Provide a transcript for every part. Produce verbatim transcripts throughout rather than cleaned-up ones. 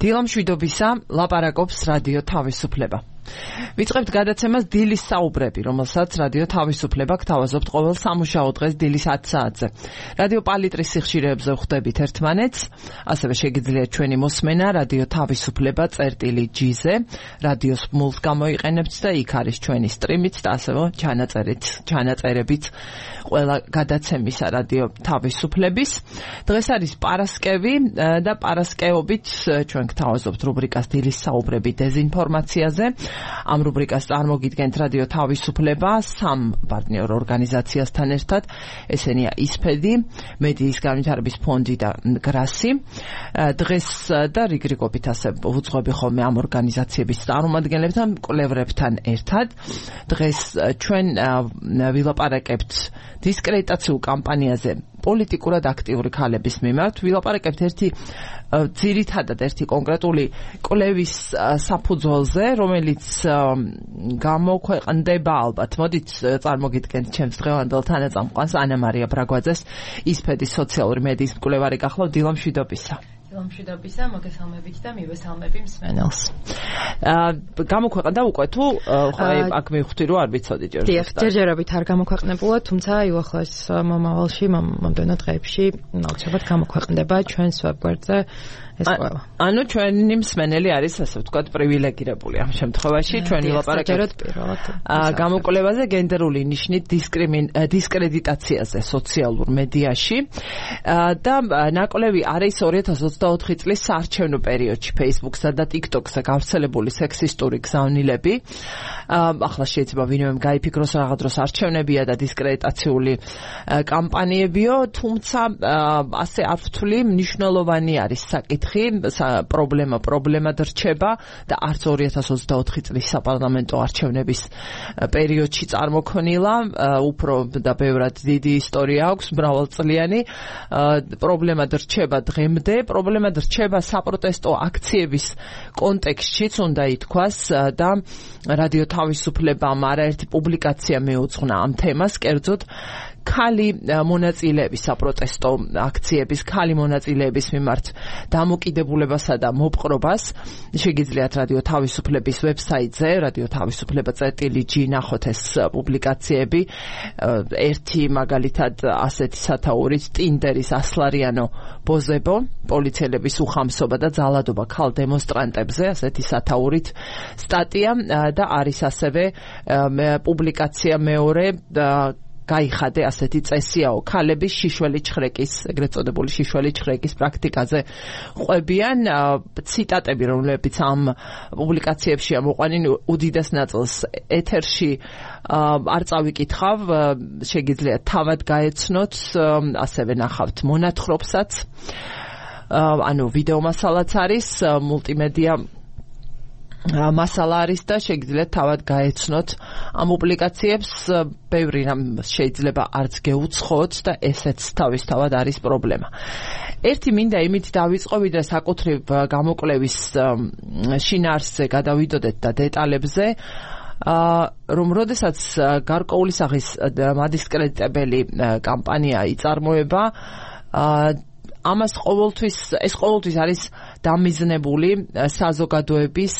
დილა მშვიდობისა, ლაპარაკობს რადიო თავისუფლება. ვიწყებთ გადაცემას დილის საუბრები, რომელსაც რადიო თავისუფლება გთავაზობთ ყოველ სამუშაო დღეს დილის ათ საათზე. რადიო პალიტრის სიხშირეებზე ვხვდებით ერთმანეთს, ასევე შეგიძლიათ ჩვენი მოსმენა რადიო თავისუფლება წერტილი ჯი-ზე, რადიოს მულს გამოიყენებთ და იქ არის ჩვენი სტრიმიც და ასევე ჩანაწერით, ჩანაწერებიც ყველა გადაცემისა რადიო თავისუფლების. დღეს არის პარასკევი და პარასკევობით ჩვენ გთავაზობთ რუბრიკას დილის საუბრები დეზინფორმაციაზე. ამ რუბრიკას წარმოგიდგენთ რადიო თავისუფლება სამ პარტნიორ ორგანიზაციასთან ერთად, ესენია ისფედი, მედიის განვითარების ფონდი და გრასი. დღეს და რიგრიგობით ასე ვუძღვები ხოლმე ამ ორგანიზაციების წარმომადგენლებთან, მკვლევრებთან ერთად. დღეს ჩვენ ვილაპარაკებთ დისკრედიტაციულ კამპანიაზე პოლიტიკურად აქტიური ქალების მიმართ. ვილაპარაკებთ ერთი ძირითადად ერთი კონკრეტული კვლევის საფუძველზე, რომელიც გამოქვეყნდება ალბათ. მოდით წარმოგიდგენთ ჩემს დღევანდელ თანაწამყვანს ანა მარია ბრაგვაძეს, ისფედის სოციალური მედიის მკვლევარი. გახლავთ დილა მშვიდობისა. მშვიდობისა, მოგესალმებით და მივესალმები მსმენელს. გამოქვეყნდა უკვე თუ ხო აქ მივხვდი რომ არ ვიცოდი ჯერ. დიახ, ჯერჯერობით არ გამოქვეყნებულა, თუმცა იუახლოს მომავალში, მომდევნო დღეებში აუცილებლად გამოქვეყნდება ჩვენს ვებგვერდზე ეს ყველა. ანუ ჩვენი მსმენელი არის ასე ვთქვათ პრივილეგირებული ამ შემთხვევაში, ჩვენ ვილაპარაკებთ გამოკვლევაზე გენდერული ნიშნით დისკრედიტაციაზე სოციალურ მედიაში და ნაკვლევი არის ორი ათას ოცდაოთხი წლის საარჩევნო პერიოდში Facebook-სა და TikTok-ზე გავრცელებული სექსისტური გზავნილები. ახლა შეიძლება ვინმე გაიფიქროს რაღაც დროს არჩევნებია და დისკრედიტაციული კამპანიებიო, თუმცა ასე არ ვთვლი, მნიშვნელოვანი არის საკითხი, პრობლემა პრობლემად რჩება და არც ორი ათას ოცდაოთხი წლის საპარლამენტო არჩევნების პერიოდში წარმოქმნილა, უფრო და ბევრად დიდი ისტორია აქვს, მრავალწლიანი. პრობლემად რჩება დღემდე, პრობლემად რჩება საპროტესტო აქციების კონტექსტშიც უნდა ითქვას და რადიო თავისუფლებამ არაერთი პუბლიკაცია მეუძღვნა ამ თემას, კერძოდ ქალი მონაწილეების საპროტესტო აქციების, ქალი მონაწილეების მიმართ დამოკიდებულებასა და მოპყრობას. შეგიძლიათ რადიო თავისუფლების ვებსაიტზე, რადიო თავისუფლება წერტილი ჯი ნახოთ ეს პუბლიკაციები. ერთი მაგალითად ასეთი სათაურით ტინდერის ასლარიანო ბოზებო, პოლიციელების უხამსობა და ძალადობა ქალ დემონსტრანტებზე, ასეთი სათაურით სტატია და არის ასევე პუბლიკაცია მეორე გაიხადე ასეთი წესიაო, ქალების შიშველი ჩხრეკის, ეგრეთ წოდებული შიშველი ჩხრეკის პრაქტიკაზე ყვებიან. ციტატები, რომლებიც ამ პუბლიკაციებში მოყვანილი უდიდეს ნაწილს ეთერში არ წავიკითხავ, შეგიძლიათ თავად გაეცნოთ, ასევე ნახავთ მონათხრობსაც, ანუ ვიდეო მასალაც არის, მულტიმედია მასალა არის და შეგიძლიათ თავად გაეცნოთ ამ პუბლიკაციებს. ბევრი რამ შეიძლება არც გეუცხოთ და ესეც თავისთავად არის პრობლემა. ერთი მინდა იმით დავიწყო, ვიდრე საკუთრივ გამოკვლევის შინაარსზე გადავიდოდეთ და დეტალებზე, რომ როდესაც გარკვეული სახის მადისკრედიტებელი კამპანია იწარმოება, ამას ყოველთვის ეს ყოველთვის არის დამიზნებული საზოგადოების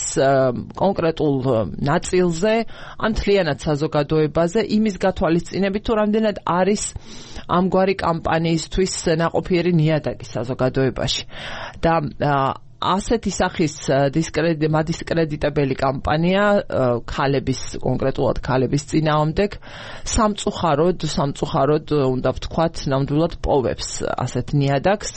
კონკრეტულ ნაწილზე, ან მთლიანად საზოგადოებაზე, იმის გათვალისწინებით, თუ რამდენად არის ამგვარი კამპანიისთვის ნაყოფიერი ნიადაგი საზოგადოებაში. და ასეთი სახის მადისკრედიტებელი კამპანია ქალების, კონკრეტულად ქალების წინააღმდეგ სამწუხაროდ, სამწუხაროდ უნდა ვთქვათ, ნამდვილად პოვებს ასეთ ნიადაგს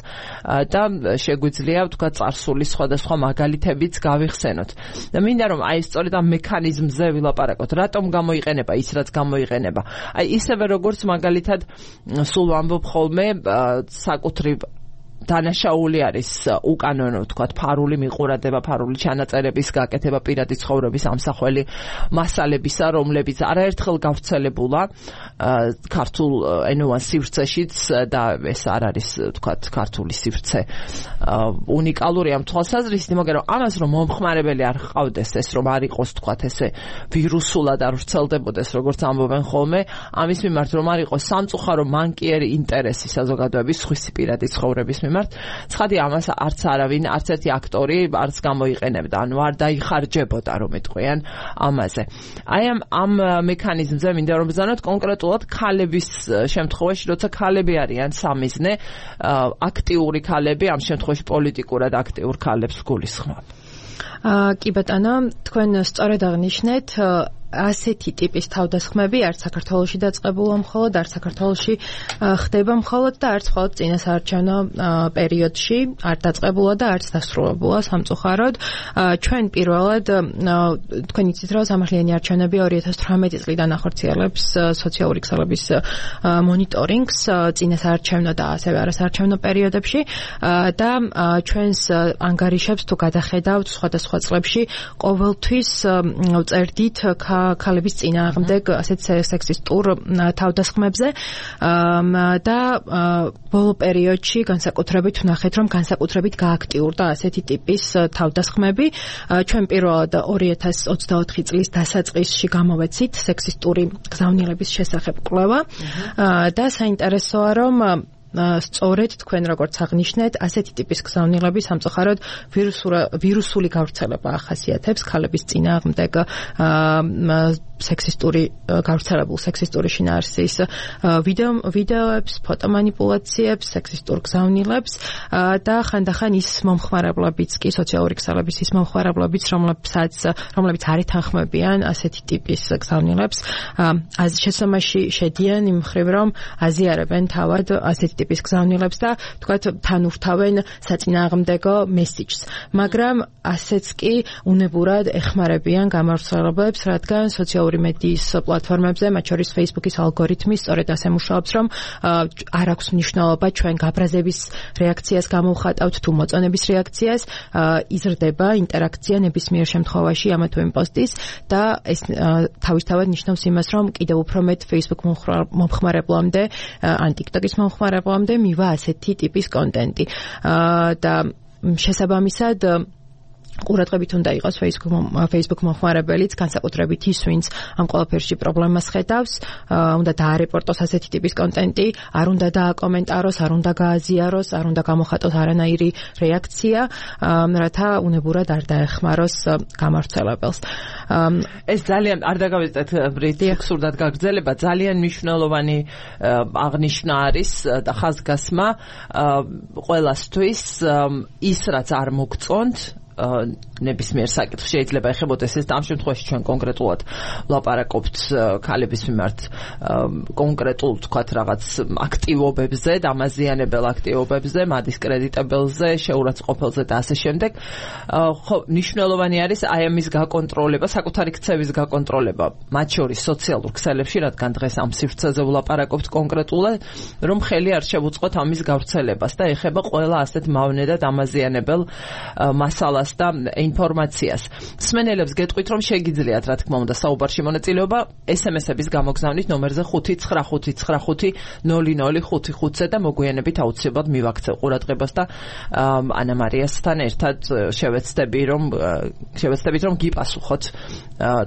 და შეგვიძლია ვთქვათ წარსულის სხვადასხვა მაგალითებიც გავიხსენოთ. და მინდა რომ აი სწორედ ამ მექანიზმზე ვილაპარაკოთ, რატომ გამოიყენება ის, რაც გამოიყენება. აი ისევე როგორც მაგალითად სულ ვამბობ ხოლმე საკუთრივ დანაშაული არის უკანონო, ვთქვათ, ფარული მიყურადება, ფარული ჩანაწერების გაკეთება, პირადი ცხოვრების ამსახველი მასალებისა, რომლებიც არაერთხელ გავრცელებულა ქართულ ენოვან სივრცეშიც და ეს არ არის, ვთქვათ, ქართული სივრცე უნიკალური ამ თვალსაზრისით, მაგრამ რომ ამას რომ მომხმარებელი არ ჰყავდეს, ეს რომ არ იყოს, ვთქვათ, ესე ვირუსულად არ ვრცელდებოდეს, როგორც ამბობენ ხოლმე, ამის მიმართ რომ არ იყოს სამწუხარო მანკიერი ინტერესი საზოგადოების სხვისი პირადი ცხოვრების მიმართ. ცხადია, ამას არც არავინ, არც ერთი აქტორი არც გამოიყენებდა, ანუ არ დაიხარჯებოდა, რომ იტყვიან ამაზე. აი ამ ამ მექანიზმზე მინდა რომ ბრძანოთ კონკრეტულად ქალების შემთხვევაში, როცა ქალები არიან სამიზნე, აქტიური ქალები, ამ შემთხვევაში პოლიტიკურად აქტიურ ქალებს გულისხმობ. აა კი ბატონო, თქვენ სწორედ აღნიშნეთ, ასეთი ტიპის თავდასხმები არც საქართველოში დაწყებულა მხოლოდ, არც საქართველოში ხდება მხოლოდ და არც მხოლოდ წინასაარჩევნო პერიოდში არ დაწყებულა და არც დასრულებულა სამწუხაროდ. ჩვენ პირველად თქვენ იცით, რომ სამართლიანი არჩევნები ორი ათას თვრამეტი წლიდან ახორციელებს სოციალური ქსელების მონიტორინგს წინასაარჩევნო და ასევე არასაარჩევნო პერიოდებში და ჩვენს ანგარიშებს თუ გადახედავთ სხვადასხვა წლებში ყოველთვის წერდით ქალების წინააღმდეგ ასეთ სექსისტურ თავდასხმებზე და ბოლო პერიოდში განსაკუთრებით ვნახეთ, რომ განსაკუთრებით გააქტიურდა ასეთი ტიპის თავდასხმები. ჩვენ პირველად ორი ათას ოცდაოთხი წლის დასაწყისში გამოვეცით სექსისტური გზავნილების შესახებ კვლევა და საინტერესოა, რომ სწორედ თქვენ როგორც აღნიშნეთ, ასეთი ტიპის გზავნილები სამწუხაროდ ვირუსული გავრცელება ახასიათებს ქალების წინააღმდეგ სექსისტური გავრცელებულ სექსისტური შინაარსის ვიდეო ვიდეოებს, ფოტომანიპულაციებს, სექსისტურ გზავნილებს და ხანდახან ის მომხმარებლებიც კი სოციალური ქსელების ის მომხმარებლებიც, რომლებსაც რომლებიც არ ეთანხმებიან ასეთი ტიპის გზავნილებს, შესაბამისში შედიან იმ მხრივ, რომ აზიარებენ თავად ასეთი ტიპის გზავნილებს და თქვათ თან ურთავენ საწინააღმდეგო მესიჯს. მაგრამ ასეც კი უნებურად ეხმარებიან გამავრცელებებს, რადგან სოციალური მედიის პლატფორმებზე, მათ შორის Facebook-ის ალგორითმი სწორედ ასე მუშაობს, რომ არ აქვს მნიშვნელობა ჩვენ გაბრაზების რეაქციას გამოვხატავთ თუ მოწონების რეაქციას, იზრდება ინტერაქცია ნებისმიერ შემთხვევაში ამა თუ იმ პოსტის და ეს თავისთავად ნიშნავს იმას, რომ კიდევ უფრო მეტ Facebook მომხმარებლამდე ან TikTok-ის მომხმარებლამდე მივა ასეთი ტიპის კონტენტი და შესაბამისად ყურადღებით უნდა იყოს Facebook Facebook მომხმარებელიც, განსაკუთრებით ის, ვინც ამ ყველაფერში პრობლემას ხედავს, უნდა დაარეპორტოს ასეთი ტიპის კონტენტი, არ უნდა დააკომენტაროს, არ უნდა გააზიაროს, არ უნდა გამოხატოს არანაირი რეაქცია, რათა უნებურად არ დაეხმაროს გამავრცელებელს. ეს ძალიან არ დაგავიწყეთ ბრიტი ხსურდად გაგრძელება, ძალიან მნიშვნელოვანი აღნიშვნა არის და ხაზგასმა ყველასთვის ის, რაც არ მოგწონთ ნებისმიერ საკითხს შეიძლება ეხებოდეს ეს და ამ შემთხვევაში ჩვენ კონკრეტულად ვლაპარაკობთ ქალების მიმართ კონკრეტულ თქვათ რაღაც აქტივობებზე, დამაზიანებელ აქტივობებზე, მადისკრედიტებელზე, შეურაცხყოფელზე და ასე შემდეგ. ხო, მნიშვნელოვანი არის აი ამის გაკონტროლება, საკუთარი ქცევის გაკონტროლება, მათ შორის სოციალურ ქსელებში, რადგან დღეს ამ სივრცეზე ვლაპარაკობთ კონკრეტულად, რომ ხელი არ შევუწყოთ ამის გავრცელებას და ეხება ყველა ასეთ მავნე და დამაზიანებელ მასალას და ინფორმაციას. მსმენელებს გეტყვით, რომ შეგიძლიათ, რა თქმა უნდა, საუბარში მონაწილეობა ეს ემ ესების გამოგზავნით ნომერზე ხუთი ცხრა ხუთი ცხრა ხუთი ნული ნული ხუთი ხუთზე და მოგვიანებით აუცილებლად მივაქცევ ყურადღებას და ანა მარიასთან ერთად შევეცდები, რომ შევეცდებით, რომ გიპასუხოთ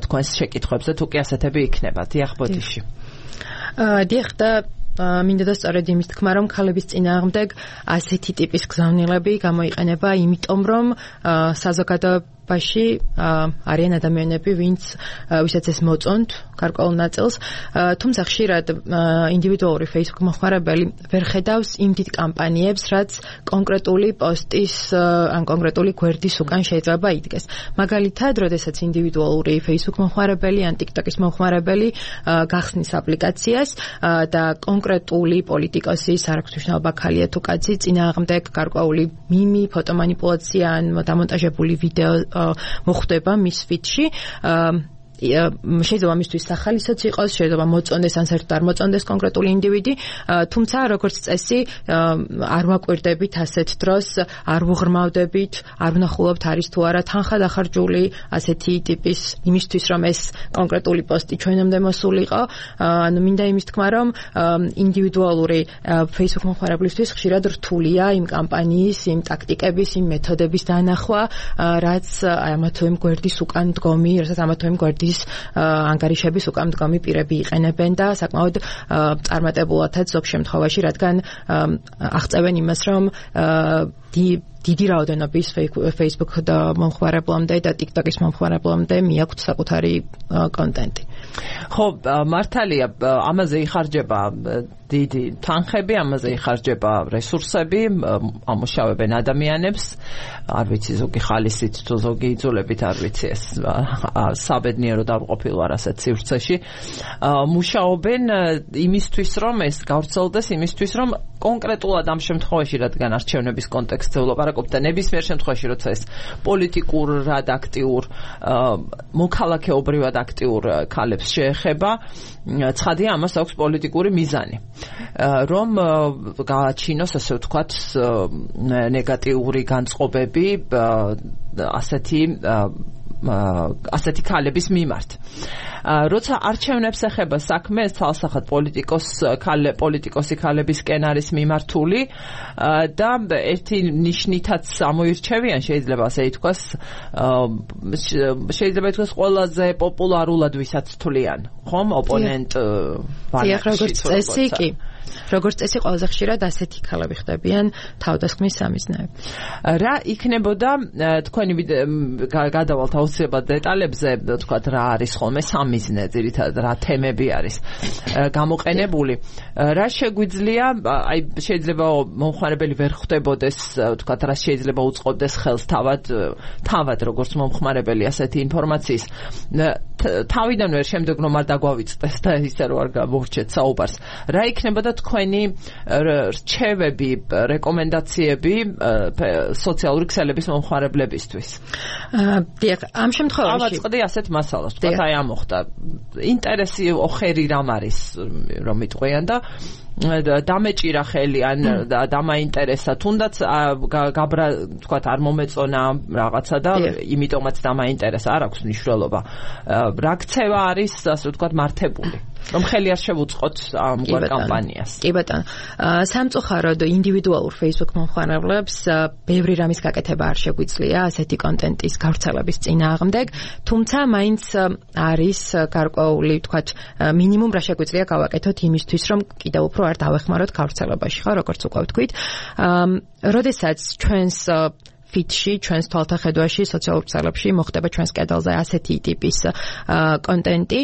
თქვენს შეკითხვებზე, თუ კი ასეთები იქნება. დიახ, ბოდიში. დიახ და მინდა და სწორედ იმის თქმა, რომ ქალების წინააღმდეგ ასეთი ტიპის გზავნილები გამოიყენება, იმიტომ რომ საზოგადოებაში არიან ადამიანები, ვინც ვისაც ეს მოწონთ გარკვეულ ნაწილს, თუმცა ხშირად ინდივიდუალური Facebook მომხმარებელი ვერ ხედავს იმ დიდ კამპანიებს, რაც კონკრეტული პოსტის ან კონკრეტული გვერდის უკან შეიძლება იდგეს. მაგალითად, როდესაც ინდივიდუალური Facebook მომხმარებელი ან TikTok-ის მომხმარებელი გახსნის აპლიკაციას და კონკრეტული პოლიტიკოსის, არ აქვს მნიშვნელობა ქალია თუ კაცი, წინააღმდეგ გარკვეული მიმი, ფოტომანიპულაცია ან დამონტაჟებული ვიდეო მოხვდება მის ფიდში. შეიძლება მისთვის სახალისოც იყოს, შეიძლება მოწონდეს ან საერთოდ არ მოწონდეს კონკრეტული ინდივიდი, თუმცა როგორც წესი არ ვაკვირდებით ასეთ დროს, არ ვუღრმავდებით, არ ვნახულობთ არის თუ არა თანხა დახარჯული ასეთი ტიპის იმისთვის, რომ ეს კონკრეტული პოსტი ჩვენამდე მოსულიყო. ანუ მინდა იმის თქმა, რომ ინდივიდუალური Facebook მომხმარებლისთვის ხშირად რთულია იმ კამპანიის, იმ ტაქტიკების, იმ მეთოდების დანახვა, რაც ამა თუ იმ გვერდის უკან დგომი, რასაც ამა თუ იმ გვერდის კანონმდებლობის ანგარიშების უკან მდგომი პირები იყენებენ და საკმაოდ წარმატებულადაც ზოგ შემთხვევაში, რადგან აღწევენ იმას, რომ დიდი რაოდენობის Facebook და მომხმარებლამდე და TikTok-ის მომხმარებლამდე მიაქვთ საკუთარი კონტენტი. ხო, მართალია, ამაზე იხარჯება დიდი თანხები, ამაზე იხარჯება რესურსები, ამუშავებენ ადამიანებს, არ ვიცი ზოგი ხალისით თუ ზოგი იძულებით, არ ვიცი ეს საბედნიერო დავყოფილ ვარ ასეთ სივრცეში. მუშაობენ იმისთვის, რომ ეს გავრცელდეს, იმისთვის, რომ კონკრეტულად ამ შემთხვევაში, რადგან არჩევნების კონტექსტზე ვლაპარაკობ და ნებისმიერ შემთხვევაში, როცა ეს პოლიტიკურად აქტიურ, მოქალაქეობრივად აქტიურ ქალებს შეეხება, ცხადია ამას აქვს პოლიტიკური მიზანი. რომ გააჩინოს, ასე ვთქვათ, ნეგატიური განწყობები ასეთი ასეთი ქალების მიმართ. როცა არჩევნებს ეხება საქმე, ეს თალსახად პოლიტიკოს ქალე პოლიტიკოსი ქალებისკენ არის მიმართული და ერთი ნიშნითაც ამოირჩევიან, შეიძლება ასე ითქვას, შეიძლება ითქვას ყველაზე პოპულარულად ვისაც თვლიან, ხომ, ოპონენტ ვარიანტში. კი. როგორც წესი, ყველაზე ხშირად ასეთი ქალები ხდებიან თავდასხმის სამიზნეები. რა იქნებოდა თქვენი გადავალთ აუცილებლად დეტალებზე, თქვათ, რა არის ხოლმე სამიზნე, ძირითადად რა თემები არის გამოყენებული. რა შეგვიძლია, აი შეიძლება მომხმარებელი ვერ ხვდებოდეს, თქვათ, რა შეიძლება უწყობდეს ხელს თავად, თავად როგორც მომხმარებელი ასეთი ინფორმაციის. თავიდან ვერ შემდეგ რომ არ დაგვავიწყდეს და ისე რომ არ გამორჩეთ საუბარს. რა იქნებოდა თქვენი რჩევები, რეკომენდაციები სოციალური ქსელების მომხმარებლებისთვის? დიახ, ამ შემთხვევაში ავაწყდი ასეთ მასალას, თქვათ, აი ამოხდა. ინტერესი ოხერი რამ არის, რომ იტყვიან და დამეჭირა ხელი ან დამაინტერესა, თუნდაც გაბრა, თქვათ, არ მომეწონა რაღაცა და იმიტომაც დამაინტერესა, არ აქვს მნიშვნელობა. რა ქცევა არის, ასე ვთქვათ, მართებული, რომ ხელი არ შევუწყოთ ამ კამპანიას. კი ბატონო. სამწუხაროდ ინდივიდუალურ Facebook მომხმარებლებს ბევრი რამის გაკეთება არ შეგვიძლია ასეთი კონტენტის გავრცელების წინააღმდეგ, თუმცა მაინც არის გარკვეული, ვთქვათ, მინიმუმ რა შეგვიძლია გავაკეთოთ იმისთვის, რომ კიდევ უფრო არ დავეხმაროთ გავრცელებაში, ხო, როგორც უკვე ვთქვით. როდესაც ჩვენს ფიტში, ჩვენს თვალთახედვაში, სოციალურ ქსელებში მოხდება ჩვენს კედელზე ასეთი ტიპის კონტენტი,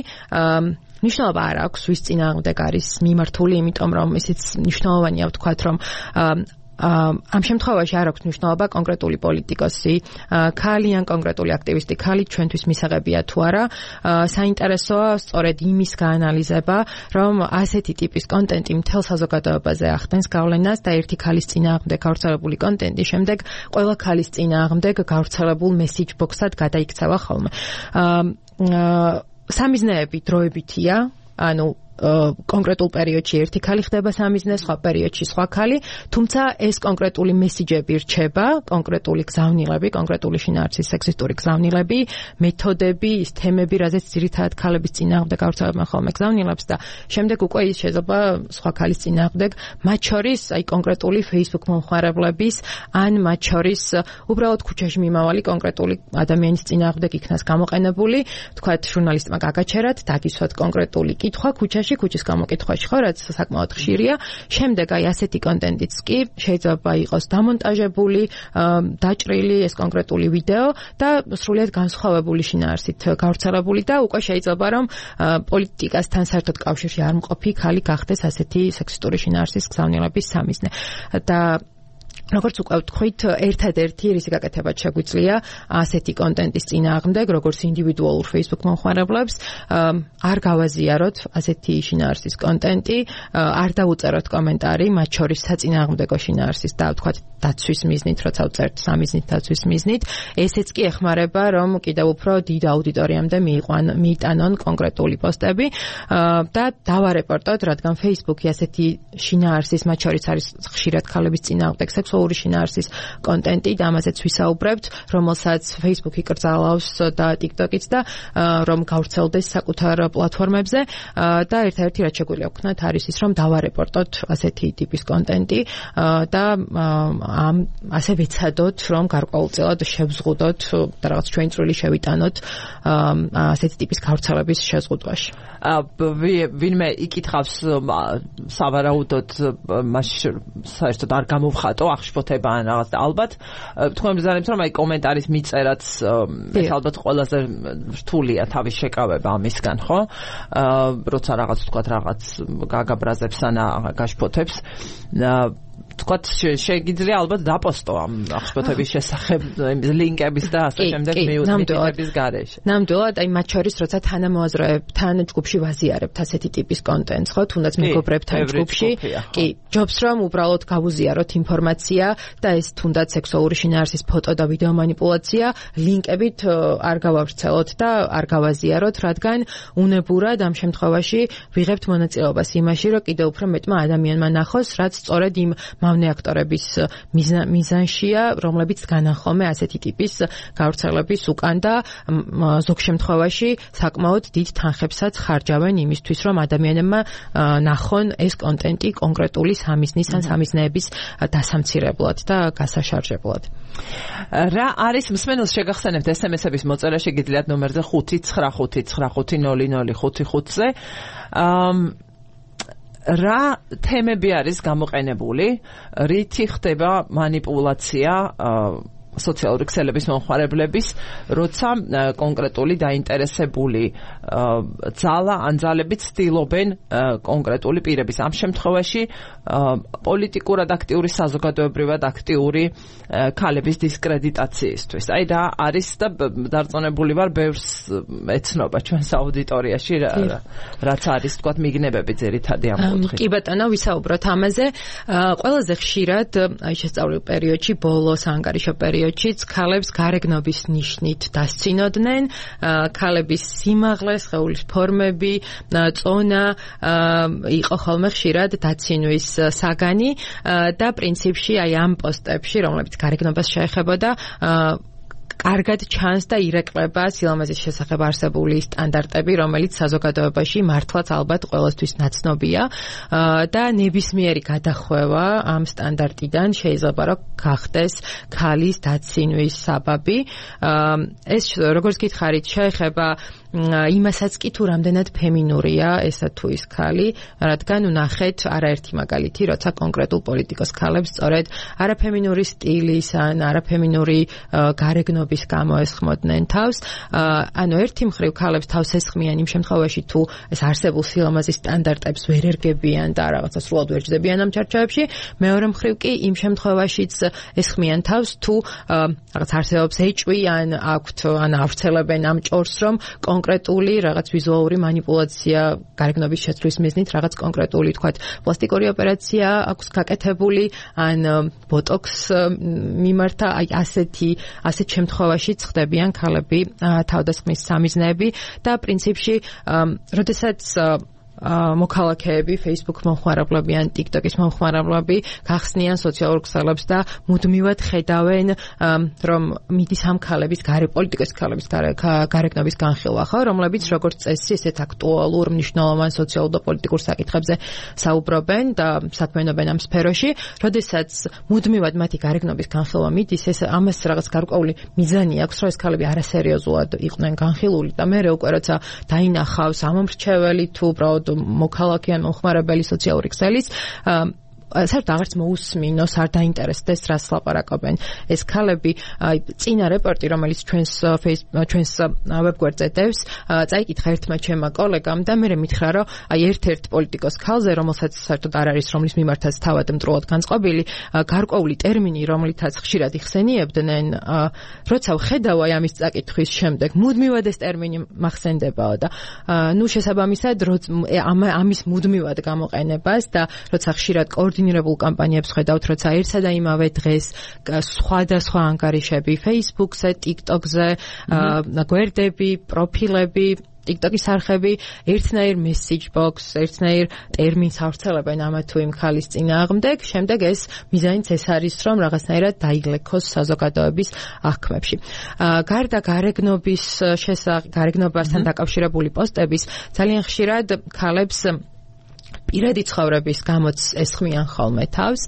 მნიშვნელობა არ აქვს, ვის წინააღმდეგ არის მიმართული, იმიტომ რომ ისიც მნიშვნელოვანია ვთქვათ, რომ ამ შემთხვევაში არ აქვს მნიშვნელობა კონკრეტული პოლიტიკოსი, ქალი ან კონკრეტული აქტივისტი ქალი ჩვენთვის მისაღებია თუ არა. საინტერესოა სწორედ იმის გაანალიზება, რომ ასეთი ტიპის კონტენტი მთელ საზოგადოებაზე ახდენს გავლენას და ერთი ქალის წინააღმდეგ გავრცელებული კონტენტი შემდეგ ყველა ქალის წინააღმდეგ გავრცელებულ მესიჯ ბოქსად გადაიქცევა ხოლმე. სამიზნეები დროებითია, ანუ კონკრეტულ პერიოდში ერთი ქალი ხდება სამიზნე, სხვა პერიოდში სხვა ქალი, თუმცა ეს კონკრეტული მესიჯები რჩება, კონკრეტული გზავნილები, კონკრეტული შინაარსის სექსისტური გზავნილები, მეთოდები, ის თემები, რაზეც ძირითადად ქალების წინააღმდეგ გავრცელებენ ხოლმე გზავნილებს და შემდეგ უკვე ის შეიძლება სხვა ქალის წინააღმდეგ, მათ შორის აი კონკრეტული Facebook მომხმარებლების ან მათ შორის უბრალოდ ქუჩაში მიმავალი კონკრეტული ადამიანის წინააღმდეგ იქნას გამოყენებული, თქვათ, ჟურნალისტმა გაგაჩერათ, დაგისვათ კონკრეტული კითხვა ქუჩაში ქუჩის გამოკითხვაში, ხო, რაც საკმაოდ ხშირია. შემდეგ აი ასეთი კონტენტიც კი შეიძლება იყოს დამონტაჟებული, დაჭრილი ეს კონკრეტული ვიდეო და სრულიად განსხვავებული შინაარსით გავრცელებული და უკვე შეიძლება რომ პოლიტიკასთან საერთოდ კავშირში არ მყოფი ქალი გახდეს ასეთი სექსისტური შინაარსის გზავნილების სამიზნე. და როგორც უკვე ვთქვით, ერთადერთი რისი გაკეთებაც შეგვიძლია ასეთი კონტენტის წინააღმდეგ, როგორც ინდივიდუალურ Facebook მომხმარებლებს, არ გავაზიაროთ ასეთი შინაარსის კონტენტი, არ დავუწეროთ კომენტარი, მათ შორის საწინააღმდეგო შინაარსის და ვთქვათ დაცვის მიზნით, როცა ვწერთ სამიზნით დაცვის მიზნით, ესეც კი ეხმარება, რომ კიდევ უფრო დიდ აუდიტორიამდე მიიტანონ კონკრეტული პოსტები და დავარეპორტოთ, რადგან Facebook-ი ასეთი შინაარსის, მათ შორის არის ხშირად ქალების წინააღმდეგ სექსუალური შინაარსის კონტენტი და ამაზეც ვისაუბრებთ, რომელსაც Facebook-ი კრძალავს და TikTok-იც და რომ გავრცელდეს საკუთარ პლატფორმებზე და ერთ-ერთი რაც შეგვიძლია ვქნათ არის ის, რომ დავარეპორტოთ ასეთი ტიპის კონტენტი და ამ ასე ვიცადოთ, რომ გარკვეულწილად შევზღუდოთ და რაღაც ჩვენი წვლილი შევიტანოთ ასეთი ტიპის გავრცელების შეზღუდვაში. ვინმე იკითხავს სავარაუდოდ მაშინ საერთოდ არ გამოვხატო აღშფოთება ან რაღაც და ალბათ თქვენ ბრძანებთ რომ აი კომენტარის მიწერაც ეს ალბათ ყველაზე რთულია თავის შეკავება ამისგან ხო? როცა რაღაც თქვა რაღაც გაგაბრაზებს ან გაშფოთებს თქვათ შეგიძლია ალბათ დაპოსტო ამ აღშფოთების შესახებ ლინკების და ასე შემდეგ მიუთითების გარეშე. ნამდვილად, აი მათ შორის როცა თანამოაზრეებთან ჯგუფში ვაზიარებთ ასეთი ტიპის კონტენტს, ხო, თუნდაც მეგობრებთან ჯგუფში, კი, ჯობს რომ უბრალოდ გავუზიაროთ ინფორმაცია და ეს თუნდაც სექსუალური შინაარსის ფოტო და ვიდეო манипуляცია ლინკებით არ გავავრცელოთ და არ გავაზიაროთ, რადგან უნებურად ამ შემთხვევაში ვიღებთ მონაწილეობას იმაში, რომ კიდევ უფრო მეტმა ადამიანმა ნახოს, რაც სწორედ იმ მავნე აქტორების მიზანშია, რომლებიც განახომე ასეთი ტიპის გავრცელების უკან და ზოგ შემთხვევაში საკმაოდ დიდ თანხებსაც ხარჯავენ იმისთვის, რომ ადამიანებმა ნახონ ეს კონტენტი კონკრეტული სამიზნის ან სამიზნეების დასამცირებლად და გასაშარჟებლად. რა არის მსმენელს შეგახსენებთ ეს ემ ესების მოწერა შეგიძლიათ ნომერზე ხუთი ცხრა ხუთი ცხრა ხუთი ნული ნული ხუთი ხუთზე. რა თემები არის გამოყენებული, რითი ხდება манипуляცია სოციალური ქსელების მომხმარებლების, როცა კონკრეტული დაინტერესებული ძალა ან ძალები ცდილობენ კონკრეტული პირების, ამ შემთხვევაში პოლიტიკურად აქტიური, საზოგადოებრივად აქტიური ქალების დისკრედიტაციისთვის. აი რა არის და დარწმუნებული ვარ ბევრს ეცნობა ჩვენს აუდიტორიაში რაც არის თქვათ მიგნებები ძირითადი ამ კუთხით. კი ბატონო, ვისაუბროთ ამაზე. ყველაზე ხშირად აი შესწავლილ პერიოდში, ბოლოს ანგარიშო პერიოდშიც ქალებს გარეგნობის ნიშნით დასცინოდნენ, ქალების სიმაღლე, სხეულის ფორმები, წონა იყო ხოლმე ხშირად დაცინვის საგანი და პრინციპში აი ამ პოსტებში, რომლებიც გარეგნობას შეეხებოდა, კარგად ჩანს და ირეკლება სილამაზის შესახებ არსებული სტანდარტები, რომელიც საზოგადოებაში მართლაც ალბათ ყველასთვის ნაცნობია და ნებისმიერი გადახვევა ამ სტანდარტიდან შეიძლება რომ გახდეს ქალის დაცინვის საბაბი. ეს როგორც გითხარით, შეეხება იმასაც კი თუ რამდენად ფემინურია ესა თუ ის ქალი, რადგან ნახეთ არაერთი მაგალითი, როცა კონკრეტულ პოლიტიკოს ქალებს სწორედ არაფემინური სტილის ან არაფემინური გარეგნობის გამო ესხმოდნენ თავს. ანუ ერთი მხრივ ქალებს თავს ესხმიან იმ შემთხვევაში თუ ეს არსებულ სილამაზის სტანდარტებს ვერ ერგებიან და რაღაცა სრულად ვერ ჯდებიან ამ ჩარჩოებში, მეორე მხრივ კი იმ შემთხვევაშიც ესხმიან თავს თუ რაღაც არსებობს ეჭვი ან აქვთ ან ავრცელებენ ამ ჭორს, რომ კონკრეტული რაღაც ვიზუალური манипуляცია გარეგნობის შეცვლის მიზნით რაღაც კონკრეტული თქვათ პლასტიკური ოპერაცია აქვს გაკეთებული ან ბოტოქს მიმართა, აი ასეთი ასეთ შემთხვევაში ხდებიან ქალები თავდასხმის სამიზნეები და პრინციპში როდესაც მოქალაქეები, Facebook მომხმარებლები ან TikTok-ის მომხმარებლები გახსნიან სოციალურ ქსელებს და მუდმივად ხედავენ, რომ მიდის ამ ქალების გარე პოლიტიკის ქალების გარეგნობის განხილვა, ხო, რომლებიც როგორც წესი ესეთ აქტუალურ მნიშვნელოვან სოციალურ და პოლიტიკურ საკითხებზე საუბრობენ და საქმიანობენ ამ სფეროში, როდესაც მუდმივად მათი გარეგნობის განხილვა მიდის, ეს ამას რაღაც გარკვეული მიზანი აქვს, რომ ეს ქალები არასერიოზულად იყვნენ განხილული და მე უკვე როცა დაინახავს ამომრჩეველი თუ უბრალოდ მოქალაქე ან მომხმარებელი სოციალური ქსელის საერთოდ აღარც მოусმინოს, არ დაინტერესდეს რას ლაპარაკობენ ეს ქალები. აი წინა რეპორტი, რომელიც ჩვენს ჩვენს ვებგვერდზე დევს, წაიკითხა ერთმა ჩემმა კოლეგამ და მე მითხრა, რომ აი ერთ-ერთ პოლიტიკოს ქალზე, რომელსაც საერთოდ არ არის, რომლის მიმართაც თავად მტრულად განწყობილი, გარკვეული ტერმინი, რომლითაც ხშირად იხსენიებდნენ, როცა ვხედავ აი ამის წაკითხვის შემდეგ, მუდმივად ეს ტერმინი მახსენდებაო და ნუ შესაბამისად ამის მუდმივად გამოყენებას და როცა ხშირად კოორდინაცია კოორდინირებულ კამპანიებს ხედავთ, როცა ერთსა და იმავე დღეს სხვადასხვა ანგარიშები Facebook-ზე, TikTok-ზე, გვერდები, პროფილები, TikTok-ის არხები ერთნაირ message box, ერთნაირ ტერმინს ავრცელებენ ამა თუ იმ ხალის წინააღმდეგ, შემდეგ ეს მიზანიც ეს არის, რომ რაღაცნაირად დაიგლექოს საზოგადოების აღქმებში. გარდა გარეგნობის შესახებ, გარეგნობასთან დაკავშირებული პოსტების, ძალიან ხშირად ქალებს პირადი ცხოვრების გამოც ესხმიან ხოლმე თავს,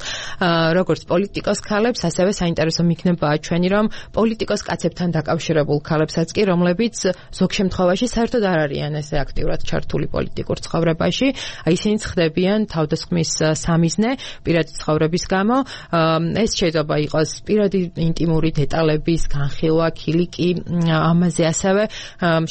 როგორც პოლიტიკოს ქალებს, ასევე საინტერესო მიგნებაა ჩვენი, რომ პოლიტიკოს კაცებთან დაკავშირებულ ქალებსაც კი, რომლებიც ზოგ შემთხვევაში საერთოდ არ არიან ესე აქტიურად ჩართული პოლიტიკურ ცხოვრებაში, აი ისინიც ხდებიან თავდასხმის სამიზნე პირადი ცხოვრების გამო. ეს შეიძლება იყოს პირადი ინტიმური დეტალების განხილვა, ქილიკი, ამაზე ასევე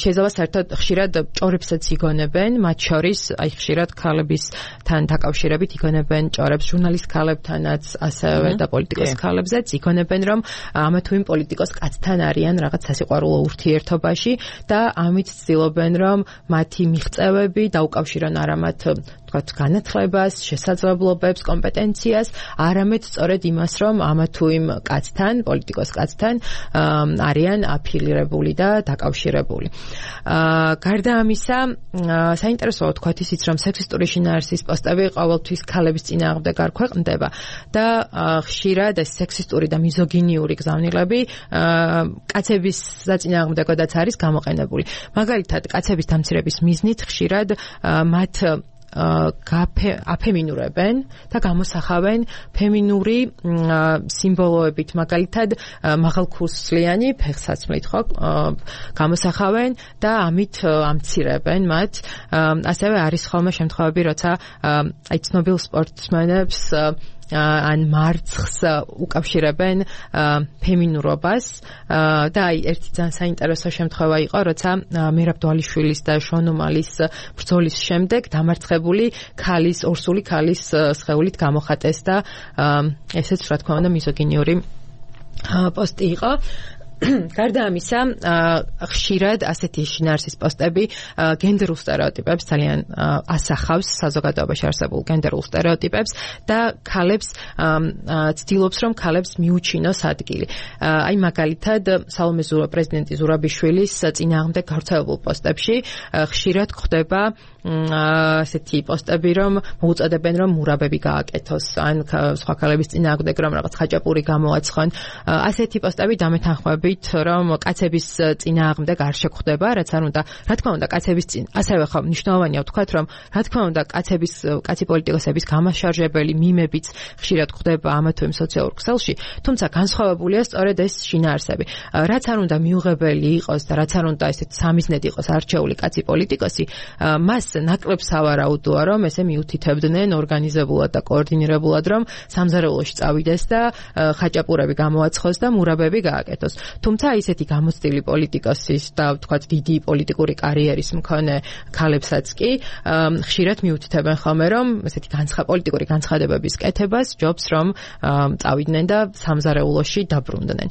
შეიძლება საერთოდ ხშირად ჭორებსაც იგონებენ, მათ შორის აი ხშირად ქალების თან დაკავშირებით იგონებენ ჭორებს ჟურნალისტ ქალებთანაც, ასევე და პოლიტიკოს ქალებზეც იგონებენ, რომ ამა თუ იმ პოლიტიკოს კაცთან არიან რაღაც სასიყვარულო ურთიერთობაში და ამით ცდილობენ, რომ მათი მიღწევები დაუკავშირონ არა მათ ვთქვათ განათლებას, შესაძლებლობებს, კომპეტენციას, არამედ სწორედ იმას, რომ ამა თუ იმ კაცთან, პოლიტიკოს კაცთან არიან აფილირებული და დაკავშირებული. გარდა ამისა, საინტერესოა ვთქვათ ისიც, რომ სექსისტური შინაარსის პოსტები ყოველთვის ქალების წინააღმდეგ არ ქვეყნდება და ხშირად ეს სექსისტური და მიზოგინიური გზავნილები კაცების საწინააღმდეგოდაც არის გამოყენებული. მაგალითად, კაცების დამცირების მიზნით ხშირად მათ აფემინურებენ და გამოსახავენ ფემინური სიმბოლოებით, მაგალითად მაღალქურსლიანი ფეხსაცმლით ხო გამოსახავენ და ამით ამცირებენ მათ. ასევე არის ხოლმე შემთხვევები, როცა აი ცნობილ სპორტსმენებს ან მარცხს უკავშირებენ ფემინურობას და აი ერთი ძალიან საინტერესო შემთხვევა იყო, როცა მერაბ დვალიშვილის და შონომალის ბრძოლის შემდეგ დამარცხებული ქალის, ორსული ქალის სხეულით გამოხატეს და ესეც რა თქმა უნდა მიზოგინიური პოსტი იყო. გარდა ამისა, ხშირად ასეთი შინაარსის პოსტები გენდერულ სტერეოტიპებს ძალიან ასახავს, საზოგადოებაში არსებულ გენდერულ სტერეოტიპებს და ქალებს ცდილობს, რომ ქალებს მიუჩინოს ადგილი. აი მაგალითად, სალომე ზურაბ პრეზიდენტი ზურაბიშვილის წინააღმდეგ გავრცელებულ პოსტებში ხშირად გვხვდება ასეთი პოსტები, რომ მოუწოდებენ, რომ მურაბები გააკეთოს, ან სხვა ქალების წინააღმდეგ რომ რაღაც ხაჭაპური გამოაცხონ. ასეთი პოსტები დამეთანხმებით, რომ კაცების წინააღმდეგ არ შეგვხვდება, რაც არ უნდა, რა თქმა უნდა, კაცების წინ, ასევე ხო მნიშვნელოვანია ვთქვათ, რომ რა თქმა უნდა, კაცების კაცი პოლიტიკოსების გამაშარჟებელი მიმებიც ხშირად გვხვდება ამა თუ იმ სოციალურ ქსელში, თუმცა განსხვავებულია სწორედ ეს შინაარსები. რაც არ უნდა მიუღებელი იყოს და რაც არ უნდა ესეთ სამიზნედ იყოს არჩეული კაცი პოლიტიკოსი, მას ნაკლებ სავარაუდოა, რომ ესე მიუთითებდნენ ორგანიზებულად და კოორდინირებულად, რომ სამზარეულოში წავიდეს და ხაჭაპურები გამოაცხოს და მურაბები გააკეთოს. თუმცა ისეთი გამოცდილი პოლიტიკოსის და ვთქვათ დიდი პოლიტიკური კარიერის მქონე ქალებსაც კი ხშირად მიუთითებენ ხოლმე, რომ ესეთი განცხა პოლიტიკური განცხადებების კეთებას ჯობს, რომ წავიდნენ და სამზარეულოში დაბრუნდნენ.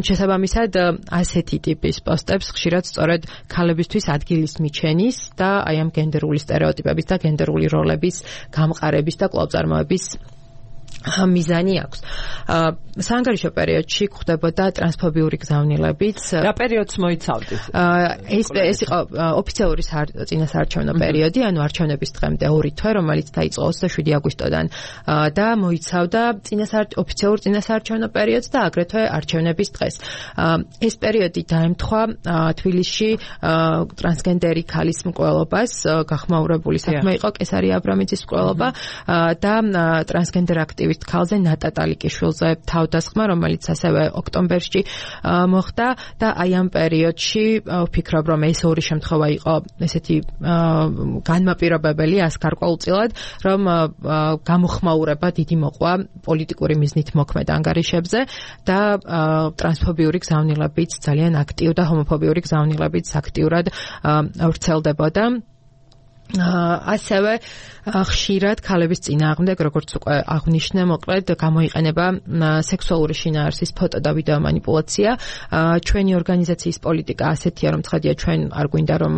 შესაბამისად, ასეთი ტიპის პოსტებს ხშირად სწორედ ქალებისთვის ადგილის მიჩენის და აი ამ გენდერული სტერეოტიპების და გენდერული როლების გამყარების და კვლავწარმოების მიზანი აქვს. საანგარიშო პერიოდში გვხვდებოდა ტრანსფობიური გზავნილებიც. რა პერიოდს მოიცავდით? ეს ეს იყო ოფიციალური წინასაარჩევნო პერიოდი, ანუ არჩევნების დღემდე ორი თვე, რომელიც დაიწყო ოცდაშვიდი აგვისტოდან და მოიცავდა ოფიციალურ წინასაარჩევნო პერიოდს და აგრეთვე არჩევნების დღეს. ეს პერიოდი დაემთხვა თბილისში ტრანსგენდერი ქალის მკვლელობას, გახმაურებული საქმე იყო კესარი აბრამიძის მკვლელობა და ტრანსგენდერ აქტივისტ ქალზე ნატა ტალიკიშვილზე თავდასხმა, რომელიც ასევე ოქტომბერში მოხდა და აი ამ პერიოდში ვფიქრობ, რომ ეს ორი შემთხვევა იყო ესეთი განმაპირობებელი ასკარკვეულწილად, რომ გამოხმაურება დიდი მოყვა პოლიტიკური მიზნით მოქმედ ანგარიშებზე და ტრანსფობიური გზავნილებიც ძალიან აქტიურ და ჰომოფობიური გზავნილებიც აქტიურად ვრცელდებოდა. ასევე ხშირად ქალების წინააღმდეგ, როგორც უკვე აღნიშნე, მოკლედ გამოიყენება სექსუალური შინაარსის ფოტო და ვიდეო манипуляция. ჩვენი ორგანიზაციის პოლიტიკა ასეთია, რომ ცხადია ჩვენ არ გვინდა რომ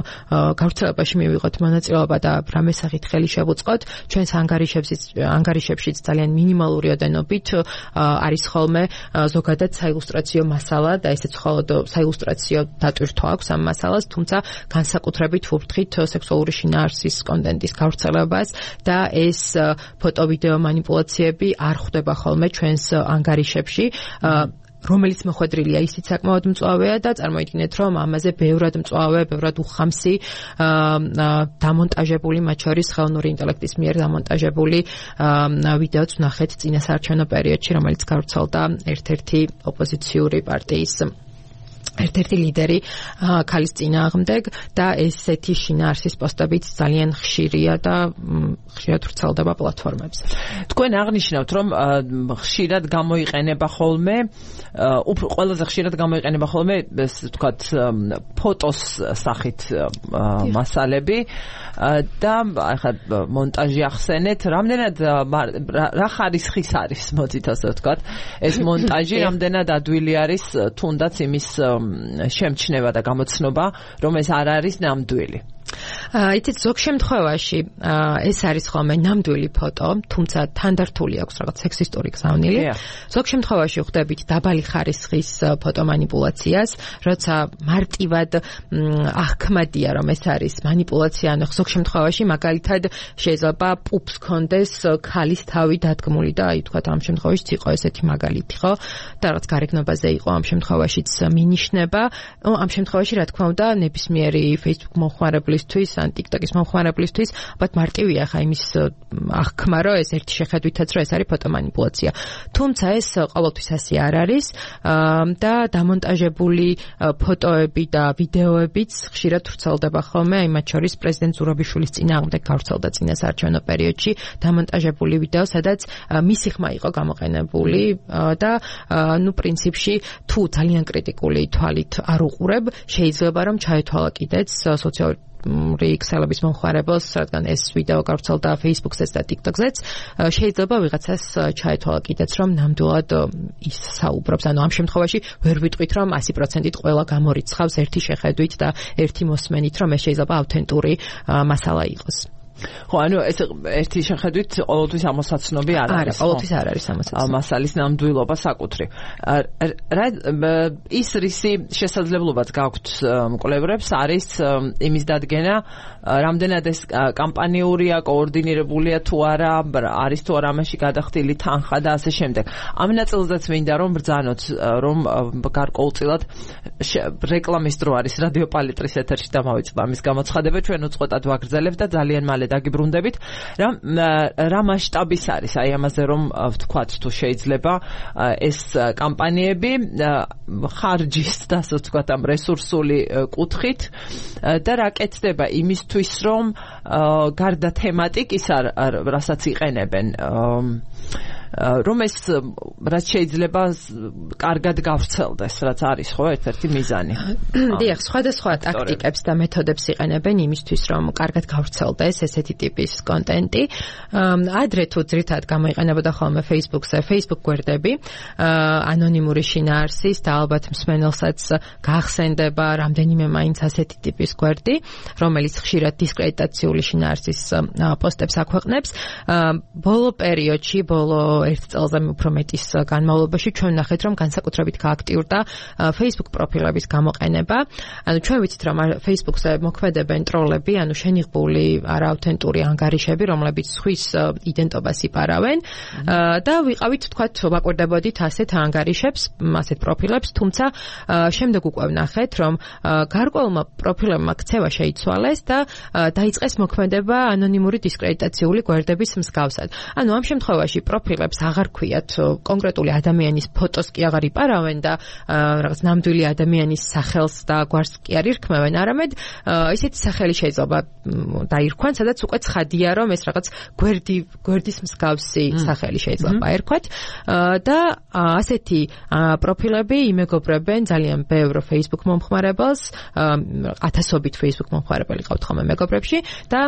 გავრცელებაში მივიღოთ მონაწილეობა და რამე სახით ხელი შევუწყოთ. ჩვენს ანგარიშებშიც ანგარიშებშიც ძალიან მინიმალური ოდენობით არის ხოლმე ზოგადად საილუსტრაციო მასალა და ესეც მხოლოდ საილუსტრაციო დატვირთვა აქვს ამ მასალას, თუმცა განსაკუთრებით ვუფრთხით სექსუალური შინაარსის კონტენტის გავრცელებას და ეს ფოტო ვიდეო манипуляციები არ ხვდება ხოლმე ჩვენს ანგარიშებში, რომელიც მოხვედრილია ისიც საკმაოდ მწვავეა და წარმოიდგინეთ რომ ამაზე ბევრად მწვავე, ბევრად უხამსი დამონტაჟებული, მათ შორის ხელოვნური ინტელექტის მიერ დამონტაჟებული ვიდეოც ვნახეთ წინასაარჩევნო პერიოდში, რომელიც გავრცელდა ერთ-ერთი ოპოზიციური პარტიის ერთ-ერთი ლიდერი ქალის წინააღმდეგ და ესეთი შინაარსის პოსტებიც ძალიან ხშირია და ხშირად ვრცელდება პლატფორმებზე. თქვენ აღნიშნავთ, რომ ხშირად გამოიყენება ხოლმე, უფრო ყველაზე ხშირად გამოიყენება ხოლმე, ესე ვთქვათ, ფოტოს სახით მასალები და ახლა მონტაჟი ახსენეთ, რამდენად რა ხარისხის არის, მოძით ასე ვთქვათ, ეს მონტაჟი რამდენად ადვილი არის თუნდაც იმის შემჩნევა და გამოცნობა, რომ ეს არ არის ნამდვილი. იცით, ზოგ შემთხვევაში ეს არის ხოლმე ნამდვილი ფოტო, თუმცა თანდართული აქვს რაღაც სექსისტური გზავნილი. ზოგ შემთხვევაში ხვდებით დაბალი ხარისხის ფოტო манипуляციას, როცა მარტივად აღქმადია, რომ ეს არის манипуляция, ანუ ზოგ შემთხვევაში მაგალითად შეიძლება პუპს კონდეს ქალის თავი დადგმული და აი თქვა ამ შემთხვევაშიც იყო ესეთი მაგალითი, ხო? და რაღაც გარეგნობაზე იყო ამ შემთხვევაშიც მინიშნება. ამ შემთხვევაში რა თქმა უნდა ნებისმიერი Facebook მომხმარებლის ან TikTok-ის მომხმარებლისთვის, ალბათ მარტივია ხა იმის აღქმა, რომ ეს ერთი შეხედვითაც რომ ეს არის ფოტო манипуляция. თუმცა ეს ყოველთვის ასე არ არის და დამონტაჟებული ფოტოები და ვიდეოებიც ხშირად ვრცელდება ხოლმე, აი მათ შორის პრეზიდენტ ზურაბიშვილის წინააღმდეგ გავრცელდა წინასაარჩევნო პერიოდში დამონტაჟებული ვიდეო, სადაც მისი ხმა იყო გამოყენებული და ნუ პრინციპში თუ ძალიან კრიტიკული თვალით არ უყურებ, შეიძლება რომ ჩაეთვალა კიდეც სოციალური ქსელების მომხმარებელს, რადგან ეს ვიდეო გავრცელდა Facebook-ზეც და TikTok-ზეც, შეიძლება ვიღაცას ჩაეთვალა კიდეც, რომ ნამდვილად ის საუბრობს. ანუ ამ შემთხვევაში ვერ ვიტყვით, რომ ასი პროცენტით ყველა გამორიცხავს ერთი შეხედვით და ერთი მოსმენით, რომ ეს შეიძლება ავთენტური მასალა იყოს. ხო, ანუ ეს ერთი შეხედვით ყოველთვის ამოსაცნობი არ არის. არა, ყოველთვის არ არის ამოსაცნობი. მასალის ნამდვილობა საკუთრი. რა ის რისი შესაძლებლობაც გაქვთ მკვლევრებს არის იმის დადგენა, რამდენად ეს კამპანიურია, კოორდინირებულია თუ არა, არის თუ არა ამაში გადახდილი თანხა და ასე შემდეგ. ამ ნაწილზეც მინდა რომ ბრძანოთ, რომ გარკვეულწილად რეკლამის დრო არის რადიო პალიტრის ეთერში და მოვიწყდა ამის გამოცხადება, ჩვენ უწყოტად ვაგრძელებთ და ძალიან მალე დაგიბრუნდებით, რა რა მასშტაბის არის აი ამაზე რომ ვთქვათ თუ შეიძლება ეს კამპანიები ხარჯის და ასე ვთქვათ ამ რესურსული კუთხით და რა კეთდება იმისთვის რომ გარდა თემატიკის რასაც იყენებენ რომ ეს რაც შეიძლება კარგად გავრცელდეს, რაც არის ხო ერთ-ერთი მიზანი. დიახ, სხვადასხვა ტაქტიკებს და მეთოდებს იყენებენ იმისთვის, რომ კარგად გავრცელდეს ესეთი ტიპის კონტენტი. ადრე თუ ძირითადად გამოიყენებოდა ხოლმე Facebook-ზე, Facebook გვერდები, ანონიმური შინაარსის და ალბათ მსმენელსაც გაახსენდება რამდენიმე მაინც ასეთი ტიპის გვერდი, რომელიც ხშირად დისკრედიტაციული შინაარსის პოსტებს აქვეყნებს. ბოლო პერიოდში, ბოლო ერთ წელზე უფრო მეტის განმავლობაში ჩვენ ნახეთ, რომ განსაკუთრებით გააქტიურდა Facebook პროფილების გამოყენება. ანუ ჩვენ ვიცით, რომ Facebook-ზე მოქმედებენ ტროლები, ანუ შენიღბული არაავთენტური ანგარიშები, რომლებიც სხვის იდენტობას იპარავენ და ვიყავით, თქვათ, ვაკვირდებოდით ასეთ ანგარიშებს, ასეთ პროფილებს, თუმცა შემდეგ უკვე ვნახეთ, რომ გარკვეულმა პროფილებმა ქცევა შეიცვალეს და დაიწყეს მოქმედება ანონიმური დისკრედიტაციული გვერდების მსგავსად. ანუ ამ შემთხვევაში პროფილებს სექტორებს აღარ ქვიათ კონკრეტული ადამიანის ფოტოს კი აღარ იპარავენ და რაღაც ნამდვილი ადამიანის სახელს და გვარს კი არ ირქმევენ, არამედ ისეთი სახელი შეიძლება დაირქვან, სადაც უკვე ცხადია, რომ ეს რაღაც გვერდი გვერდის მსგავსი სახელი შეიძლება ერქვათ და ასეთი პროფილები იმეგობრებენ ძალიან ბევრ Facebook მომხმარებელს, ათასობით Facebook მომხმარებელი ყავთ ხოლმე მეგობრებში და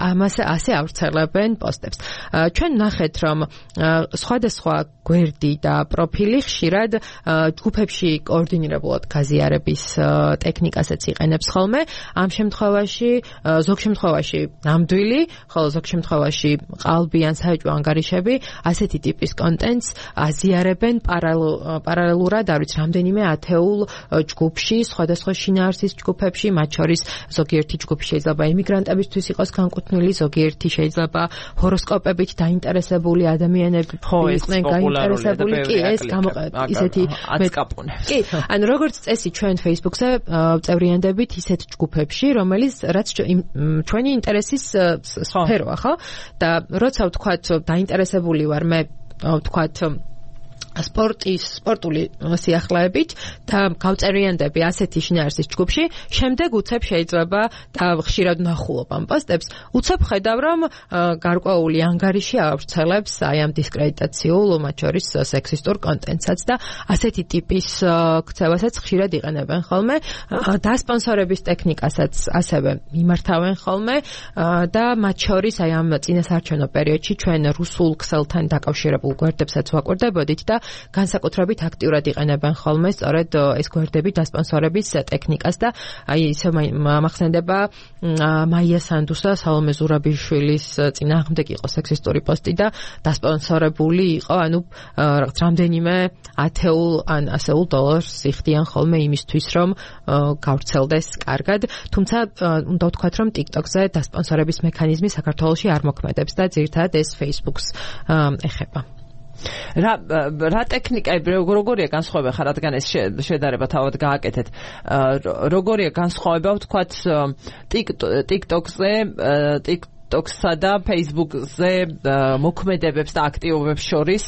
ამას ასე ავრცელებენ პოსტებს. ჩვენ ნახეთ, რომ სხვადასხვა გვერდი და პროფილი ხშირად ჯგუფებში კოორდინირებულად გაზიარების ტექნიკასაც იყენებს ხოლმე. ამ შემთხვევაში, ზოგ შემთხვევაში ნამდვილი, ხოლო ზოგ შემთხვევაში ყალბი ან საეჭვო ანგარიშები ასეთი ტიპის კონტენტს აზიარებენ პარალელურად, არ ვიცი, რამდენიმე ათეულ ჯგუფში, სხვადასხვა შინაარსის ჯგუფებში, მათ შორის ზოგიერთი ჯგუფი შეიძლება ემიგრანტებისთვის იყოს განკუთვნილი, ზოგიერთი შეიძლება ჰოროსკოპებით დაინტერესებული ადამიანები იყვნენ გაინტერესებული, კი, ეს გამოყენება ისეთი აწკაპუნებს. კი, ანუ როგორც წესი ჩვენ Facebook-ზე წევრიანდებით ისეთ ჯგუფებში, რომელიც რაც ჩვენი ინტერესის სფეროა, ხო? და როცა ვთქვათ დაინტერესებული ვარ მე ვთქვათ სპორტის სპორტული სიახლეებით და გავწერიანდები ასეთი შინაარსის ჯგუფში, შემდეგ უცებ შეიძლება და ხშირად ვნახულობ ამ პოსტებს, უცებ ხედავ, რომ გარკვეული ანგარიში ავრცელებს აი ამ დისკრედიტაციულ, მათ შორის სექსისტურ კონტენტსაც და ასეთი ტიპის ქცევასაც ხშირად იყენებენ ხოლმე, დასპონსორების ტექნიკასაც ასევე მიმართავენ ხოლმე და მათ შორის აი ამ წინასაარჩევნო პერიოდში ჩვენ რუსულ ქსელთან დაკავშირებულ გვერდებსაც ვაკვირდებოდით და განსაკუთრებით აქტიურად იყენებენ ხოლმე სწორედ ეს გვერდები დასპონსორების ტექნიკას და აი ისე მახსენდება მაია სანდუსა, სალომე ზურაბიშვილის წინააღმდეგ იყო სექსისტური პოსტი და დასპონსორებული იყო, ანუ რაღაც რამდენიმე ათეულ ან ასეულ დოლარს იხდიან ხოლმე იმისთვის, რომ გავრცელდეს კარგად, თუმცა უნდა ვთქვათ, რომ TikTok-ზე დასპონსორების მექანიზმი საქართველოში არ მოქმედებს და ძირითადად ეს Facebook-ს ეხება. რა რა ტექნიკები როგორია განსხვავება ხარ, რადგან ეს შედარება თავად გააკეთეთ, როგორია განსხვავება ვთქვათ TikTok-ზე, TikTok-სა და Facebook-ზე მოქმედებებს და აქტივობებს შორის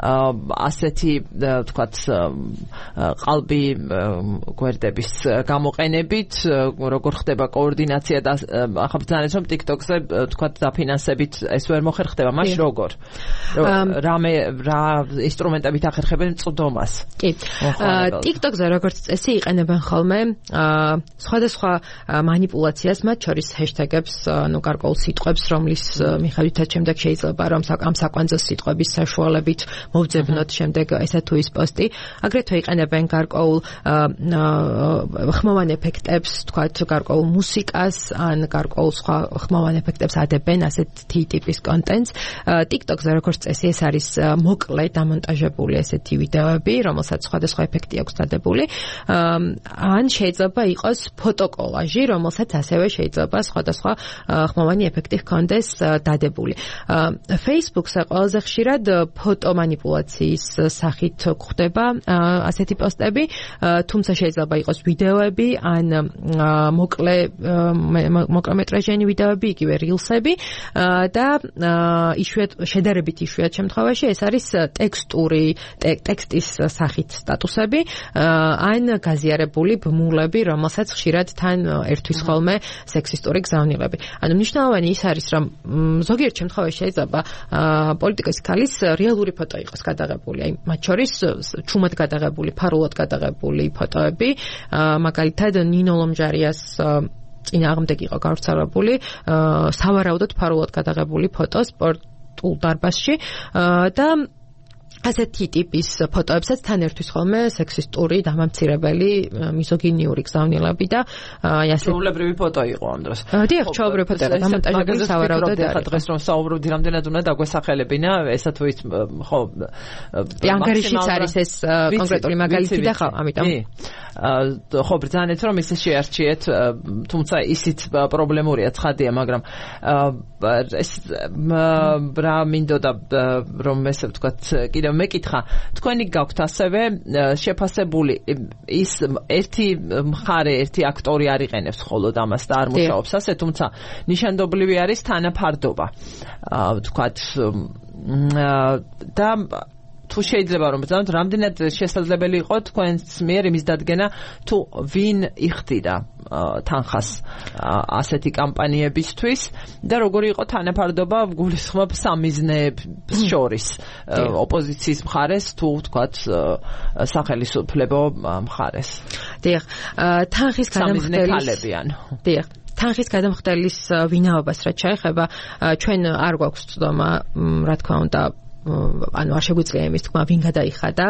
ასეთი ვთქვათ ყალბი გვერდების გამოყენებით, როგორ ხდება კოორდინაცია და ახლა ბრძანეთ, რომ TikTok-ზე ვთქვათ დაფინანსებით ეს ვერ მოხერხდება, მაშინ როგორ? რამე რა ინსტრუმენტებით ახერხებენ წვდომას? კი. TikTok-ზე როგორც წესი იყენებენ ხოლმე სხვადასხვა მანიპულაციას, მათ შორის ჰეშტეგებს, ანუ გარკვეულ სიტყვებს, რომლის მიხედვითაც შემდეგ შეიძლება რომ ამ საკვანძო სიტყვების საშუალებით მოვძებნოთ შემდეგ ესა თუ ის პოსტი. აგრეთვე იყენებენ გარკვეულ ხმოვან ეფექტებს, თქვათ გარკვეულ მუსიკას ან გარკვეულ სხვა ხმოვან ეფექტებს ადებენ ასეთი ტიპის კონტენტს. TikTok-ზე როგორც წესი ეს არის მოკლე დამონტაჟებული ესეთი ვიდეოები, რომელსაც სხვადასხვა ეფექტი აქვს დადებული. ან შეიძლება იყოს ფოტოკოლაჟი, რომელსაც ასევე შეიძლება სხვადასხვა ხმოვანი ეფექტი ჰქონდეს დადებული. Facebook-ზე ყველაზე ხშირად ფოტო მანიპულაციის სახით გვხდება ასეთი პოსტები, თუმცა შეიძლება იყოს ვიდეოები ან მოკლე მოკლემეტრაჟიანი ვიდეოები, იგივე rilsები და იშვიათ შედარებით იშვიათ შემთხვევაში ეს არის ტექსტური ტექსტის სახით სტატუსები ან გაზიარებული ბმულები, რომელსაც ხშირად თან ერთვის ხოლმე სექსისტური გზავნილები. ანუ მნიშვნელოვანი ის არის, რომ ზოგიერთ შემთხვევაში შეიძლება პოლიტიკის ქალის რეალური ფოტო იყოს გადაღებული, აი მათ შორის ჩუმად გადაღებული, ფარულად გადაღებული ფოტოები, მაგალითად ნინო ლომჯარიას წინააღმდეგ იყო გავრცელებული სავარაუდოდ ფარულად გადაღებული ფოტო სპორტულ დარბაზში და ასეთი ტიპის ფოტოებსაც თან ერთვის ხოლმე სექსისტური, დამამცირებელი, მიზოგინიური გზავნილები და აი ასე ჩვეულებრივი ფოტო იყო ამ დროს. დიახ, ჩვეულებრივი ფოტო იყო, დამონტაჟებული სავარაუდოდ არის. დღეს რომ საუბრობდი, რამდენად უნდა დაგვესახელებინა, ესა თუ ის ხო ანგარიშიც არის ეს კონკრეტული მაგალითი და ხო, ამიტომ ხო ბრძანეთ რომ ისე შეარჩიეთ, თუმცა ისიც პრობლემურია, ცხადია, მაგრამ ეს რა მინდოდა რომ ესე ვთქვათ კიდევ მეკითხა თქვენი გაქვთ ასევე შეფასებული ის ერთი მხარე ერთი აქტორი არ იყენებს ხოლოდ ამას და არ მუშაობს ასე თუმცა ნიშანდობლივი არის თანაფარდობა ვთქვათ და თუ შეიძლება რომ ბრძანოთ რამდენად შესაძლებელი იყო თქვენს მიერ იმის დადგენა თუ ვინ იხდიდა თანხას ასეთი კამპანიებისთვის და როგორი იყო თანაფარდობა გულისხმობ სამიზნეებს შორის ოპოზიციის მხარეს თუ ვთქვათ სახელმწიფო მხარეს დიახ თანხის გადამხდელის დიახ თანხის გადამხდელის ვინაობას რაც შეეხება ჩვენ არ გვაქვს ცდომა რა თქმა უნდა ანუ არ შეგვიძლია იმის თქმა ვინ გადაიხადა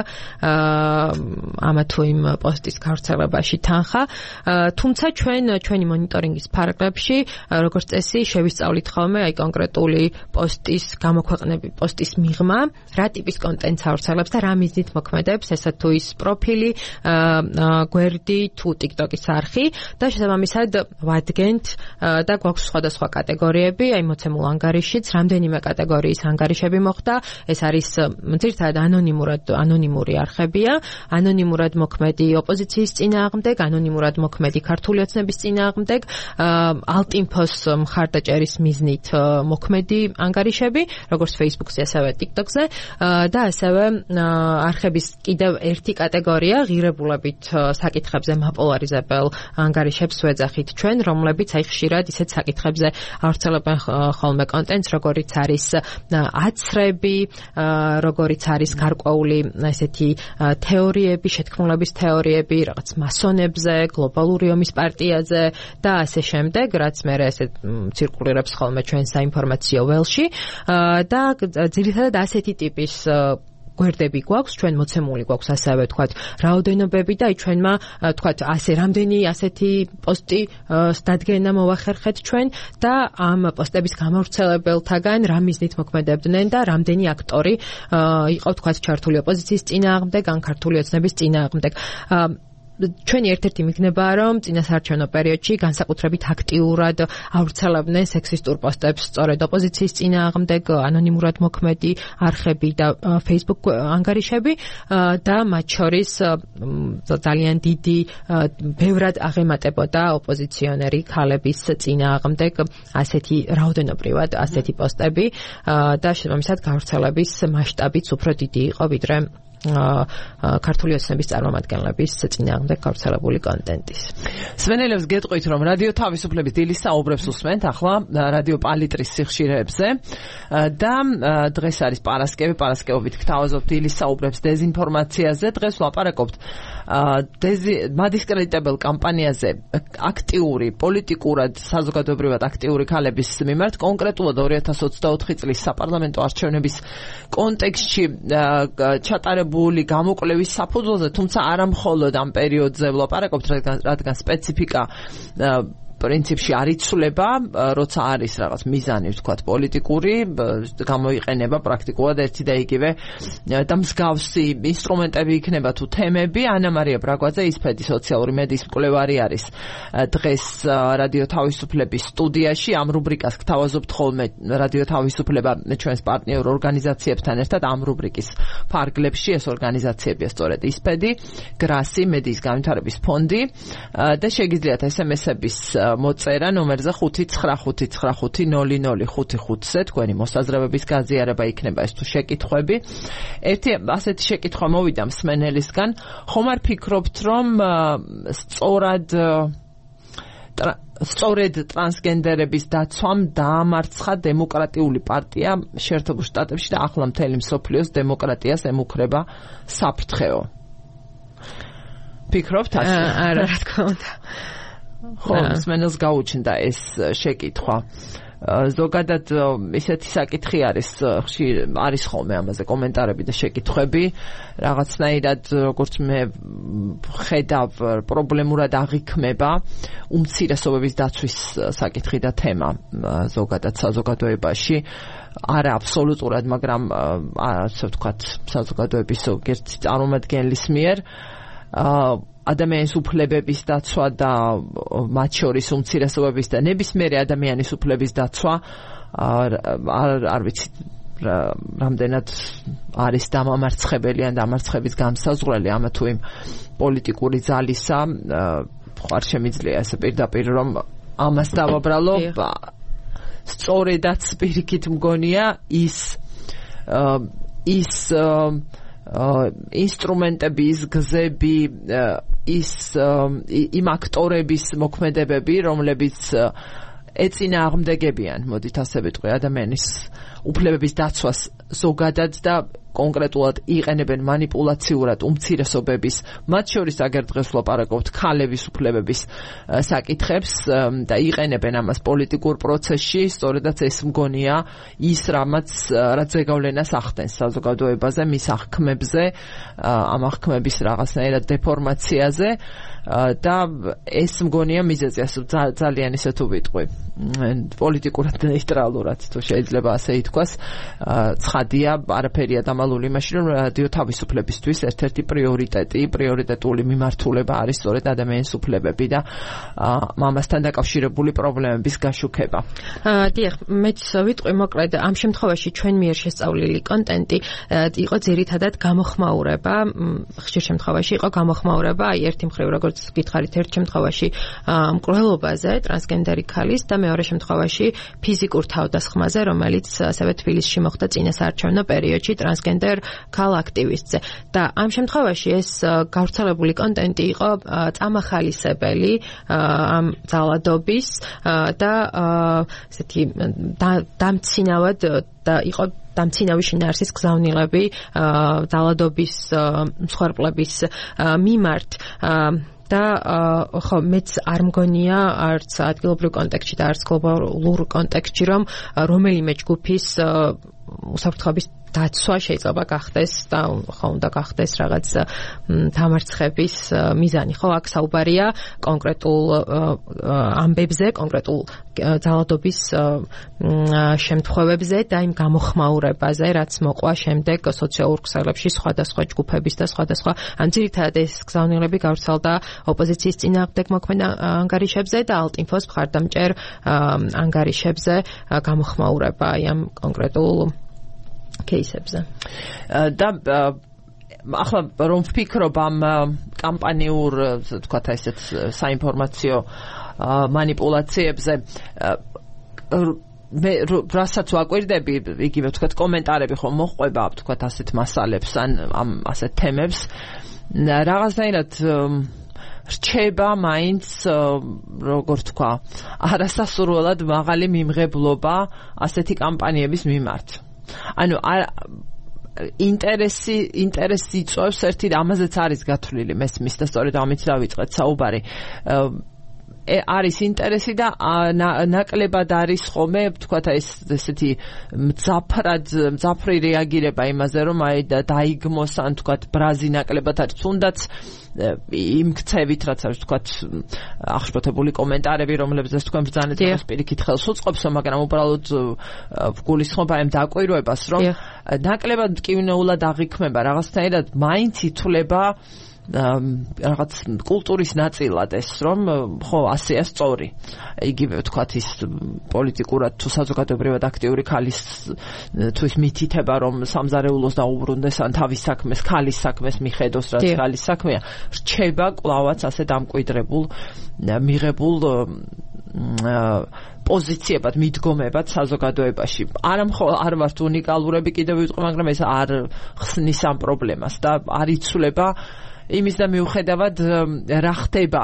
ამა თუ იმ პოსტის გავრცელებაში თანხა თუმცა ჩვენ ჩვენი მონიტორინგის ფარგლებში როგორც წესი შევისწავლით ხოლმე აი კონკრეტული პოსტის გამოქვეყნები პოსტის მიღმა რა ტიპის კონტენტს ავრცელებს და რა მიზნით მოქმედებს ესა თუ ის პროფილი გვერდი თუ TikTok-ის არხი და შესაბამისად ვადგენთ და გვაქვს სხვადასხვა კატეგორიები აი მოცემულ ანგარიშიც რამდენიმე კატეგორიის ანგარიშები მოხდა ეს არის ძირითადად ანონიმურად ანონიმური არხებია, ანონიმურად მოქმედი ოპოზიციის წინააღმდეგ, ანონიმურად მოქმედი ქართული ოცნების წინააღმდეგ, ალტინფოს მხარდაჭერის მიზნით მოქმედი ანგარიშები, როგორც Facebook-ზე, ასევე TikTok-ზე და ასევე არხების კიდევ ერთი კატეგორია ღირებულებით საკითხებზე მაპოლარიზებელ ანგარიშებს ვეძახით ჩვენ, რომლებიც აი ხშირად ისეთ საკითხებზე ავრცელებენ ხოლმე კონტენტს, როგორიც არის აცრები როგორიც არის გარკვეული ესეთი თეორიები, შეთქმულების თეორიები, რაღაც მასონებზე, გლობალური ომის პარტიაზე და ასე შემდეგ, რაც მე ესე ცირკულირებს ხოლმე ჩვენ საინფორმაციო ველში და ძირითადად ასეთი ტიპის გვერდები გვაქვს, ჩვენ მოცემული გვაქვს ასევე თქვათ რაოდენობები და აი ჩვენმა თქვათ ასე რამდენი ასეთი პოსტი დადგენა მოვახერხეთ ჩვენ და ამ პოსტების გამავრცელებელთაგან რა მიზნით მოქმედებდნენ და რამდენი აქტორი იყო თქვათ ჩართული ოპოზიციის წინააღმდეგ ან ქართული ოცნების წინააღმდეგ ჩვენი ერთ-ერთი მიგნებაა რომ წინასაარჩევნო პერიოდში განსაკუთრებით აქტიურად ავრცელებდნენ სექსისტურ პოსტებს სწორედ ოპოზიციის წინააღმდეგ ანონიმურად მოქმედი არხები და Facebook ანგარიშები და მათ შორის ძალიან დიდი ბევრად აღემატებოდა ოპოზიციონერი ქალების წინააღმდეგ ასეთი რაოდენობრივად ასეთი პოსტები და შესაბამისად გავრცელების მასშტაბიც უფრო დიდი იყო ვიდრე ქართული ოცნების წარმომადგენლების წინააღმდეგ გავრცელებული კონტენტის. სვენელებს გეტყვით რომ რადიო თავისუფლების დილის საუბრებს უსმენთ ახლა რადიო პალიტრის სიხშირეებზე და დღეს არის პარასკევი, პარასკევობით გთავაზობთ დილის საუბრებს დეзинფორმაციაზე. დღეს ვლაპარაკობთ მადისკრედიტებელ კამპანიაზე აქტიური, პოლიტიკურად, საზოგადოებრივად აქტიური ქალების მიმართ, კონკრეტულად ორი ათას ოცდაოთხი წლის საპარლამენტო არჩევნების კონტექსტში ჩატარებული გამოკვლევის საფუძველზე, თუმცა არა მხოლოდ ამ პერიოდზე ვლაპარაკობთ, რადგან სპეციფიკა პრინციპში არ იცვლება, როცა არის რაღაც მიზანი, ვთქვათ, პოლიტიკური, გამოიყენება პრაქტიკულად ერთი და იგივე და მსგავსი ინსტრუმენტები იქნება თუ თემები. ანა მარია ბრაგვაძე, ისფედი სოციალური მედიის მკვლევარი არის დღეს რადიო თავისუფლების სტუდიაში. ამ რუბრიკას გთავაზობთ ხოლმე რადიო თავისუფლება ჩვენს პარტნიორ ორგანიზაციებთან ერთად. ამ რუბრიკის ფარგლებში ეს ორგანიზაციებია სწორედ ისფედი, გრასი, მედიის განვითარების ფონდი და შეგიძლიათ ესემესების მოწერა ნომერზე ხუთი ცხრა ხუთი ცხრა ხუთი ნული ნული ხუთი ხუთზე თქვენი მოსაზრებების გაზიარება იქნება ეს თუ შეკითხვები. ერთი ასეთი შეკითხვა მოვიდა მსმენელისგან, ხომ არ ფიქრობთ რომ სწორად სწორედ ტრანსგენდერების დაცვამ დაამარცხა დემოკრატიული პარტია შეერთებულ შტატებში და ახლა მთელი მსოფლიოს დემოკრატიას ემუქრება საფრთხეო? ფიქრობთ ასე? არა, რა თქმა უნდა. ხო, მსმენელს გაუჩნდა ეს შეკითხვა. ზოგადად ისეთი საკითხი არის, ხშირ არის ხოლმე ამაზე კომენტარები და შეკითხვები, რაღაცნაირად როგორც მე ხედავ პრობლემურად აღიქმება უმცირესობების დაცვის საკითხი და თემა ზოგადად საზოგადოებაში. არა აბსოლუტურად, მაგრამ ასე ვთქვათ, საზოგადოების ზოგიერთი წარმომადგენლის მიერ ადამიანის უფლებების დაცვა და მათ შორის უმცირესობების და ნებისმიერი ადამიანის უფლების დაცვა არ არ ვიცი რამდენად არის დამამარცხებელი ან დამარცხების გამსაზღვრელი ამა თუ იმ პოლიტიკური ძალისა ხარ შემიძლია ესე პირდაპირ რომ ამას დავაბრალო სწორედაც პირიქით მგონია ის ის ინსტრუმენტები, ის გზები, ის იმ აქტორების მოქმედებები, რომლებიც ეწინააღმდეგებიან, მოდით ასე ვიტყვი, ადამიანის უფლებების დაცვას ზოგადად და კონკრეტულად იყენებენ манипуляციურად უმცირესობების, მათ შორის აგერ დღეს ვლაპარაკობთ ქალების უფლებების საკითხებს და იყენებენ ამას პოლიტიკურ პროცესში, სწორედაც ეს მგონია ის რამაც რაც ზეგავლენას ახდენს საზოგადოებაზე, მის აღქმებზე, ამ აღქმების რაღაცნაირად დეფორმაციაზე და ეს მგონია მიზეზი, ძალიან ისე თუ ვიტყვი, პოლიტიკურად ნეიტრალურად თუ შეიძლება ასე ითქვას, ცხადია, არაფერია დამალული იმაში, რომ რადიო თავისუფლებისთვის ერთ-ერთი პრიორიტეტი, პრიორიტეტული მიმართულება არის სწორედ ადამიანის უფლებები და ამასთან დაკავშირებული პრობლემების გაშუქება. დიახ, მეც ვიტყვი მოკლედ, ამ შემთხვევაში ჩვენ მიერ შესწავლილი კონტენტი იყო ძირითადად გამოხმაურება, ხშირ შემთხვევაში იყო გამოხმაურება, აი ერთი მხრივ როგორც გითხარით, ერთ შემთხვევაში მკვლელობაზე, ტრანსგენდერი ქალის და მეორე შემთხვევაში ფიზიკურ თავდასხმაზე, რომელიც ასევე თბილისში მოხდა წინასაარჩევნო პერიოდში ტრანსგენდერ ქალ აქტივისტზე. და ამ შემთხვევაში ეს გავრცელებული კონტენტი იყო წამახალისებელი ამ ძალადობის და ესეთი დამცინავად და იყო დამცინავი შინაარსის გზავნილები ძალადობის მსხვერპლების მიმართ და ხო მეც არ მგონია არც ადგილობრივ კონტექსტში და არც გლობალურ კონტექსტში რომ რომელიმე ჯგუფის უსაფრთხოების დაცვა შეიძლება გახდეს და ხო უნდა გახდეს რაღაც დამარცხების მიზანი. ხო, აქ საუბარია კონკრეტულ ამბებზე, კონკრეტულ ძალადობის შემთხვევებზე და იმ გამოხმაურებაზე, რაც მოყვა შემდეგ სოციალურ ქსელებში სხვადასხვა ჯგუფების და სხვადასხვა ან ძირითადად ეს გზავნილები გავრცელდა ოპოზიციის წინააღმდეგ მოქმედ ანგარიშებზე და ალტინფოს მხარდამჭერ ანგარიშებზე გამოხმაურება ამ კონკრეტულ кейსებზე. და ახლა რომ ვფიქრობ ამ კამპანიურ, თქვათ ესეთ საინფორმაციო манипуляციებზე, მე რასაც ვაკვირდები, იგივე თქვათ კომენტარები ხომ მოყვება, თქვათ ასეთ მასალებს ან ამ ასეთ თემებს, რაღაცნაირად რჩება მაინც როგორ თქვა, არასასურველად მაღალი მიმღებლობა ასეთი კამპანიების მიმართ. ანუ ინტერესი ინტერესი იწვევს ერთი ამაზეც არის გათვლილი მესმის და სწორედ ამით დავიწყეთ საუბარი. არის ინტერესი და ნაკლებად არის ხოლმე, თქვათ ეს ესეთი მძაფრად მძაფრი რეაგირება იმაზე, რომ აი დაიგმოს ან თქვათ ბრაზი ნაკლებად არის, თუნდაც იმ ქცევით, რაც არის თქვათ აღშფოთებული კომენტარები, რომლებზეც თქვენ ბრძანეთ, რომ პირიქით ხელს უწყობს, მაგრამ უბრალოდ გულისხმობა ამ დაკვირვებას, რომ ნაკლებად მტკივნეულად აღიქმება რაღაცნაირად მაინც ითვლება რაღაც კულტურის ნაწილად ეს, რომ ხო ასეა სწორი. იგივე თქვათ ის პოლიტიკურად თუ საზოგადოებრივად აქტიური ქალის თუ ის მითითება, რომ სამზარეულოს დაუბრუნდეს ან თავის საქმეს, ქალის საქმეს მიხედოს, რაც ქალის საქმეა, რჩება კვლავაც ასე დამკვიდრებულ მიღებულ პოზიციებად, მიდგომებად საზოგადოებაში. არა მხოლოდ არ ვართ უნიკალურები, კიდევ ვიტყვი, მაგრამ ეს არ ხსნის ამ პრობლემას და არ იცვლება იმის და მიუხედავად რა ხდება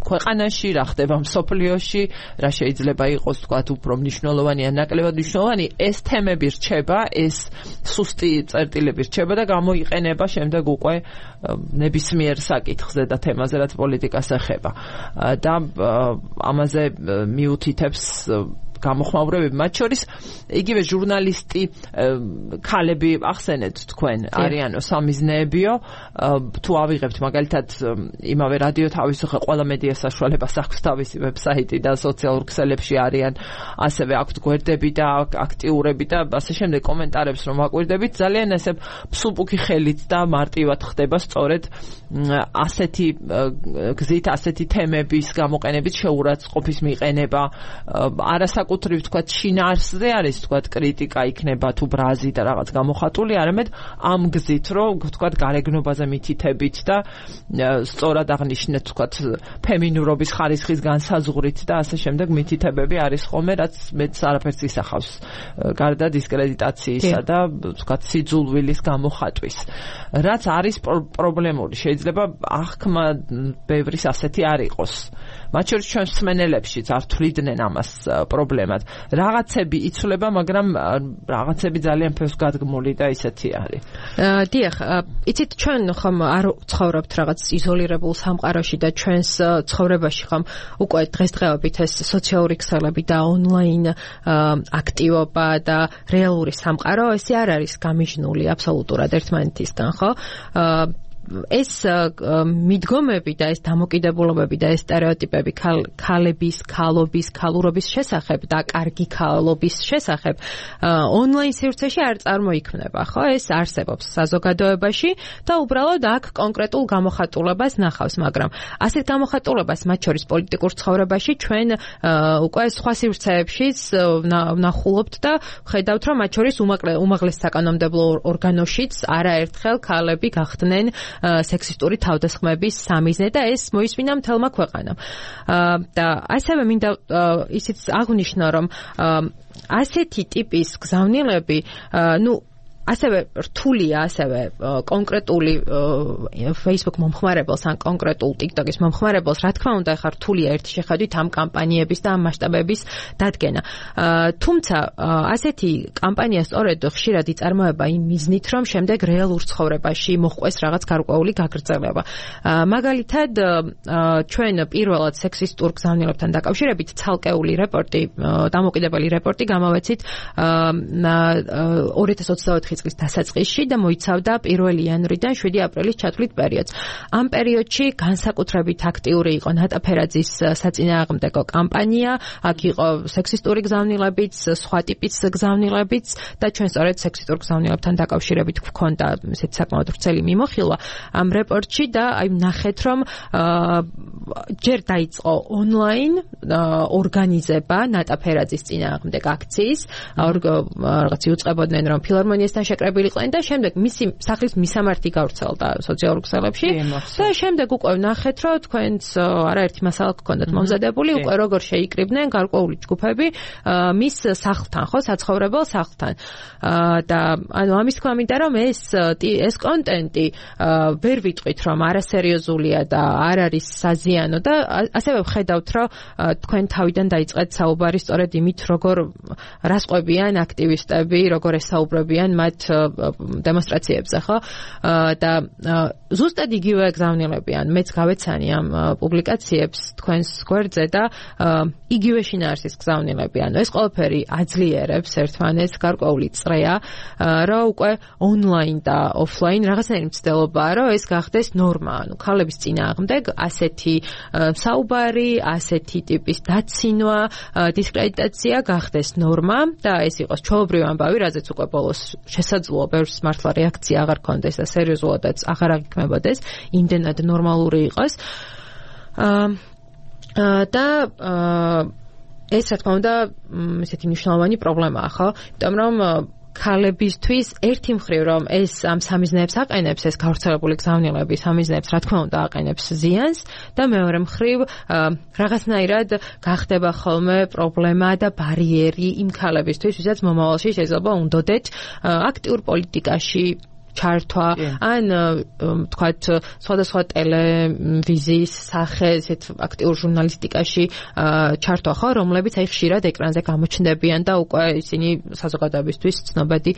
ქვეყანაში, რა ხდება მსოფლიოში, რა შეიძლება იყოს თქვათ უფრო მნიშვნელოვანი ან ნაკლებად მნიშვნელოვანი, ეს თემები რჩება, ეს სუსტი წერტილები რჩება და გამოიყენება შემდეგ უკვე ნებისმიერ საკითხზე და თემაზე, რაც პოლიტიკას ეხება. და ამაზე მიუთითებს გამოხმაურებები, მათ შორის იგივე ჟურნალისტი ქალები ახსენეთ თქვენ, არიანო სამიზნეებიო, თუ ავიღებთ მაგალითად იმავე რადიო თავისუფლება, ყველა მედია საშუალებას აქვს თავისი ვებსაიტი და სოციალურ ქსელებში არიან, ასევე აქვთ გვერდები და აქტიურები და ასე შემდეგ კომენტარებს რომ აკვირდებით, ძალიან ესე ფსუბუქი ხელით და მარტივად ხდება სწორედ ასეთი გზით, ასეთი თემების გამოყენებით შეურაცხყოფის მიყენება, არასაკ საკუთრივ თქვა შინაარსზე არის თქვა კრიტიკა იქნება თუ ბრაზი და რაღაც გამოხატული, არამედ ამ გზით რომ თქვა გარეგნობაზე მითითებით და სწორად აღნიშნეთ თქვა ფემინურობის ხარისხის განსაზღვრით და ასე შემდეგ მითითებები არის ხოლმე, რაც მეც არაფერს ისახავს გარდა დისკრედიტაციისა და თქვა სიძულვილის გამოხატვის. რაც არის პრობლემური, შეიძლება აღქმა ბევრის ასეთი არ იყოს. მათ შორის ჩვენ მსმენელებშიც არ თვლიდნენ ამას პრობლემად. რაღაცები იცვლება, მაგრამ რაღაცები ძალიან ფერს გადგმული და ისეთი არის. დიახ, იცით ჩვენ ხომ არ ცხოვრობთ რაღაც იზოლირებულ სამყაროში და ჩვენს ცხოვრებაში ხომ უკვე დღესდღეობით ეს სოციალური ქსელები და ონლაინ აქტივობა და რეალური სამყარო ესე არ არის გამიჯნული აბსოლუტურად ერთმანეთისგან, ხო? ეს მიდგომები და ეს დამოკიდებულობები და ეს სტერეოტიპები ქალების, ქალობის, ქალურობის შესახებ და კარგი ქალობის შესახებ ონლაინ სივრცეში არ წარმოიქმნება, ხო? ეს არსებობს საზოგადოებაში და უბრალოდ აქ კონკრეტულ გამოხატულებას ნახავს, მაგრამ ასეთ გამოხატულებას მათ შორის პოლიტიკურ ცხოვრებაში ჩვენ უკვე სხვა სივრცეებშიც ვნახულობთ და ხედავთ, რომ მათ შორის უმაღლეს საკანონმდებლო ორგანოშიც არაერთხელ ქალები გახდნენ სექსისტური თავდასხმების სამიზნე და ეს მოისმინა მთელმა ქვეყანამ. და ასევე მინდა ისიც აღვნიშნო, რომ ასეთი ტიპის გზავნილები, ნუ ასევე რთულია ასევე კონკრეტული Facebook მომხმარებელს ან კონკრეტულ TikTok-ის მომხმარებელს, რა თქმა უნდა, ხარ რთულია ერთი შეხედვით ამ კამპანიების და ამ მასშტაბების დადგენა. თუმცა ასეთი კამპანია სწორედ ხშირად იწარმოება იმ მიზნით, რომ შემდეგ რეალურ ცხოვრებაში მოჰყვეს რაღაც გარკვეული გაგრძელება. მაგალითად, ჩვენ პირველად სექსისტურ გზავნილებთან დაკავშირებით ცალკეული რეპორტი, დამოკიდებელი რეპორტი გამოვეცით ორი ათას ოცდაოთხი წლის დასაწყისში და მოიცავდა პირველი იანვრიდან შვიდი აპრილის ჩათვლით პერიოდს. ამ პერიოდში განსაკუთრებით აქტიური იყო ნატა ფერაძის საწინააღმდეგო კამპანია, აქ იყო სექსისტური გზავნილებიც, სხვა ტიპის გზავნილებიც და ჩვენ სწორედ სექსისტურ გზავნილებთან დაკავშირებით გვქონდა ესეთ საკმაოდ ვრცელი მიმოხილვა ამ რეპორტში და აი ნახეთ, რომ ჯერ დაიწყო ონლაინ ორგანიზება ნატა ფერაძის წინააღმდეგ აქციის, რაღაც იუწყებოდნენ, რომ ფილარმონიასთან შეკრებილიყვნენ და შემდეგ მისი სახლის მისამართი გავრცელდა სოციალურ ქსელებში და შემდეგ უკვე ვნახეთ, რომ თქვენც არაერთი მასალა გქონდათ მომზადებული, უკვე როგორ შეიკრიბნენ გარკვეული ჯგუფები მის სახლთან, ხო, საცხოვრებელ სახლთან. და ანუ ამის თქმა მინდა, რომ ეს ეს კონტენტი ვერ ვიტყვით, რომ არასერიოზულია და არ არის საზიანო და ასევე ვხედავთ, რომ თქვენ თავიდან დაიწყეთ საუბარი სწორედ იმით, როგორ რას ყვებიან აქტივისტები, როგორ ესაუბრებიან მათ დემონსტრაციებზე, ხო? და ზუსტად იგივე გზავნილებიან. მეც გავეცანი ამ პუბლიკაციებს თქვენს გვერდზე და იგივე შინაარსის გზავნილებიან. ეს ყველაფერი აძლიერებს ერთმანეთს, გარკვეული წრეა, რომ უკვე ონლაინ და ოფლაინ რაღაცნაირი მცდელობაა, რომ ეს გახდეს ნორმა. ანუ ქალების წინააღმდეგ ასეთი საუბარი, ასეთი ტიპის დაცინვა, დისკრედიტაცია გახდეს ნორმა და ეს იყოს ჩვეულებრივი ამბავი, რაზეც უკვე ბოლოს შესაძლოა ბევრს მართლა რეაქცია აღარ ქონდეს და სერიოზულადაც აღარ აღიქმებოდეს, იმდენად ნორმალური იყოს. და ეს რა თქმა უნდა ესეთი მნიშვნელოვანი პრობლემაა, ხო? იმიტომ რომ ქალებისთვის ერთი მხრივ რომ ეს ამ სამიზნეებს აყენებს, ეს გავრცელებული გზავნილები სამიზნეებს რა თქმა უნდა აყენებს ზიანს და მეორე მხრივ რაღაცნაირად გახდება ხოლმე პრობლემა და ბარიერი იმ ქალებისთვის, ვისაც მომავალში შეიძლება უნდოდეთ აქტიურ პოლიტიკაში ჩართვა, ან თქვათ სხვადასხვა ტელევიზიის სახე, ესეთ აქტიურ ჟურნალისტიკაში ჩართვა, ხო, რომლებიც აი ხშირად ეკრანზე გამოჩნდებიან და უკვე ისინი საზოგადოებისთვის ცნობადი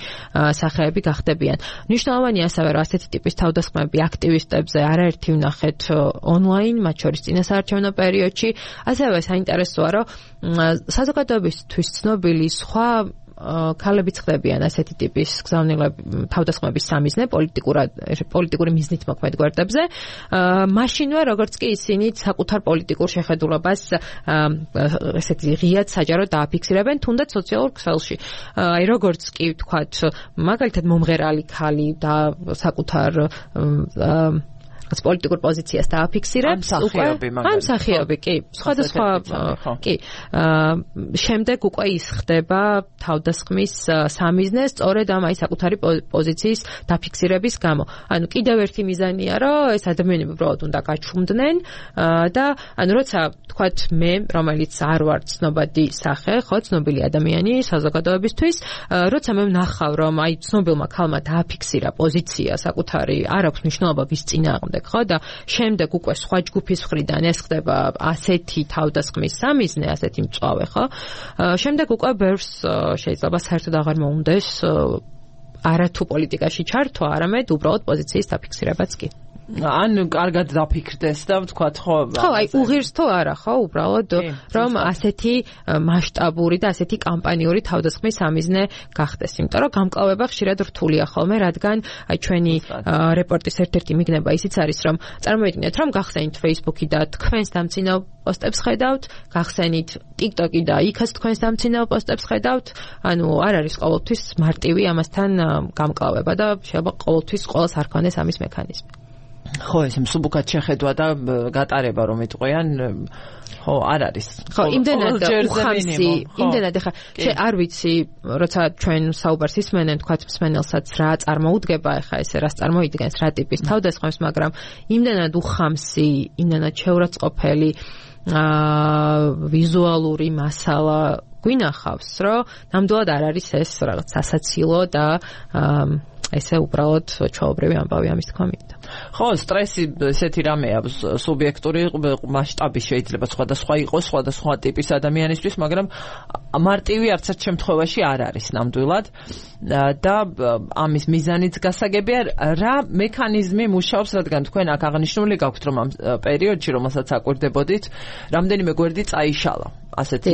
სახეები გახდებიან. მნიშვნელოვანია ასევე, რომ ასეთი ტიპის თავდასხმები აქტივისტებზე არაერთი ვნახეთ ონლაინ, მათ შორის წინასაარჩევნო პერიოდში. ასევე საინტერესოა, რომ საზოგადოებისთვის ცნობილი სხვა ქალებიც ხდებიან ასეთი ტიპის გზავნილები თავდასხმების სამიზნე პოლიტიკურად პოლიტიკური მიზნით მოქმედ გვერდებზე. მაშინვე როგორც კი ისინი საკუთარ პოლიტიკურ შეხედულებას ესეთი ღიად საჯაროდ დააფიქსირებენ თუნდაც სოციალურ ქსელში. აი როგორც კი ვთქვათ, მაგალითად მომღერალი ქალი და საკუთარ რაღაც პოლიტიკურ პოზიციას დააფიქსირებს უკვე ან მსახიობი კი სხვადასხვა კი შემდეგ უკვე ის ხდება თავდასხმის სამიზნე სწორედ ამ აი საკუთარი პოზიციის დაფიქსირების გამო. ანუ კიდევ ერთი მიზანია, რომ ეს ადამიანები უბრალოდ უნდა გაჩუმდნენ და ანუ როცა თქვათ მე, რომელიც არ ვარ ცნობადი სახე, ხო, ცნობილი ადამიანი საზოგადოებისთვის, როცა მე ვნახავ, რომ აი ცნობილმა ქალმა დააფიქსირა პოზიცია საკუთარი, არ აქვს მნიშვნელობა ვის წინააღმდეგ, ხო, და შემდეგ უკვე სხვა ჯგუფის მხრიდან ეს ხდება ასეთი თავდასხმის სამიზნე, ასეთი მწვავე, ხო? შემდეგ უკვე ბევრს შეიძლება საერთოდ აღარ მოუნდეს არათუ პოლიტიკაში ჩართვა, არამედ უბრალოდ პოზიციის დაფიქსირებაც კი. ან კარგად დაფიქრდეს და ვთქვათ ხო ხო აი უღირს თუ არა ხო უბრალოდ რომ ასეთი მასშტაბური და ასეთი კამპანიური თავდასხმის სამიზნე გახდეს იმიტომ რომ გამკლავება ხშირად რთულია ხოლმე რადგან აი ჩვენი რეპორტის ერთ-ერთი მიგნება ისიც არის რომ წარმოიდგინეთ რომ გახსენით Facebook-ი და თქვენს დამცინავ პოსტებს ხედავთ გახსენით TikTok-ი და იქაც თქვენს დამცინავ პოსტებს ხედავთ ანუ არ არის ყოველთვის მარტივი ამასთან გამკლავება და შეიძლება ყოველთვის ყოველს არ ქონდეს ამის მექანიზმი ხო ეს მსუბუქად შეხედვა და გატარება რომ იტყვიან ხო არ არის ხო იმდენად უხამსი იმდენად ხა შე არ ვიცი როცა ჩვენ საუბარს ისმენენ თქვათ მსმენელსაც რა წარმოუდგება ხა ესე რას წარმოიდგენს რა ტიპის თავდასხმებს მაგრამ იმდენად უხამსი იმდენად შეურაცხყოფელი აა ვიზუალური მასალა გვინახავს რომ ნამდვილად არ არის ეს რაღაც სასაცილო და ესე უბრალოდ ჩაობრივი ამბავი ამის თქმა მინდა. ხო, სტრესი ესეთი რამეა, სუბიექტური მასშტაბი შეიძლება სხვადასხვა იყოს, სხვადასხვა ტიპის ადამიანისთვის, მაგრამ მარტივი არც ერთ შემთხვევაში არ არის ნამდვილად და ამის მიზანიც გასაგებია, რა მექანიზმი მუშაობს, რადგან თქვენ აქ აღნიშნული გაქვთ, რომ ამ პერიოდში, რომელსაც აკვირდებოდით, რამდენიმე გვერდი წაიშალა. ასეთი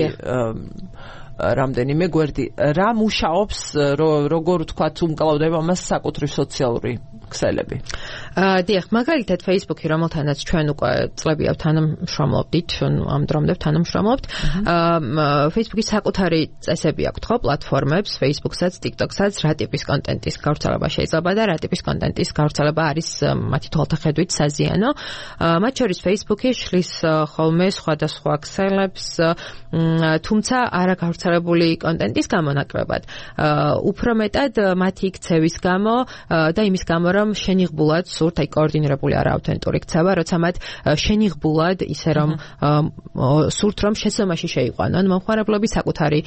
რამდენიმე გვერდი რა მუშაობს როგორ ვთქვათ უმკლავდება მას საკუთრივ სოციალური ქსელები აა დიახ მაგალითად Facebook-ი რომელთანაც ჩვენ უკვე წლებია თანამშრომლობდით ამ დრომდებ თანამშრომლობთ აა Facebook-ის საკუთარი წესები აქვს ხო პლატფორმებს Facebook-საც TikTok-საც რა ტიპის კონტენტის გავრცელება შეიძლება და რა ტიპის კონტენტის გავრცელება არის მათი თვალთახედვით საზიანო მათ შორის Facebook-ი შლის ხოლმე სხვადასხვა ქსელებს თუმცა არა გავრცელებული კონტენტის გამონაკლებად უფრო მეტად მათი იქცევის გამო და იმის გამო რომ შენიღბულად სურთ აი კოორდინირებული არა ავთენტური ქცევა როცა მათ შენიღბულად ისე რომ სურთ რომ შეცდომაში შეიყვანონ მომხმარებლების საკუთარი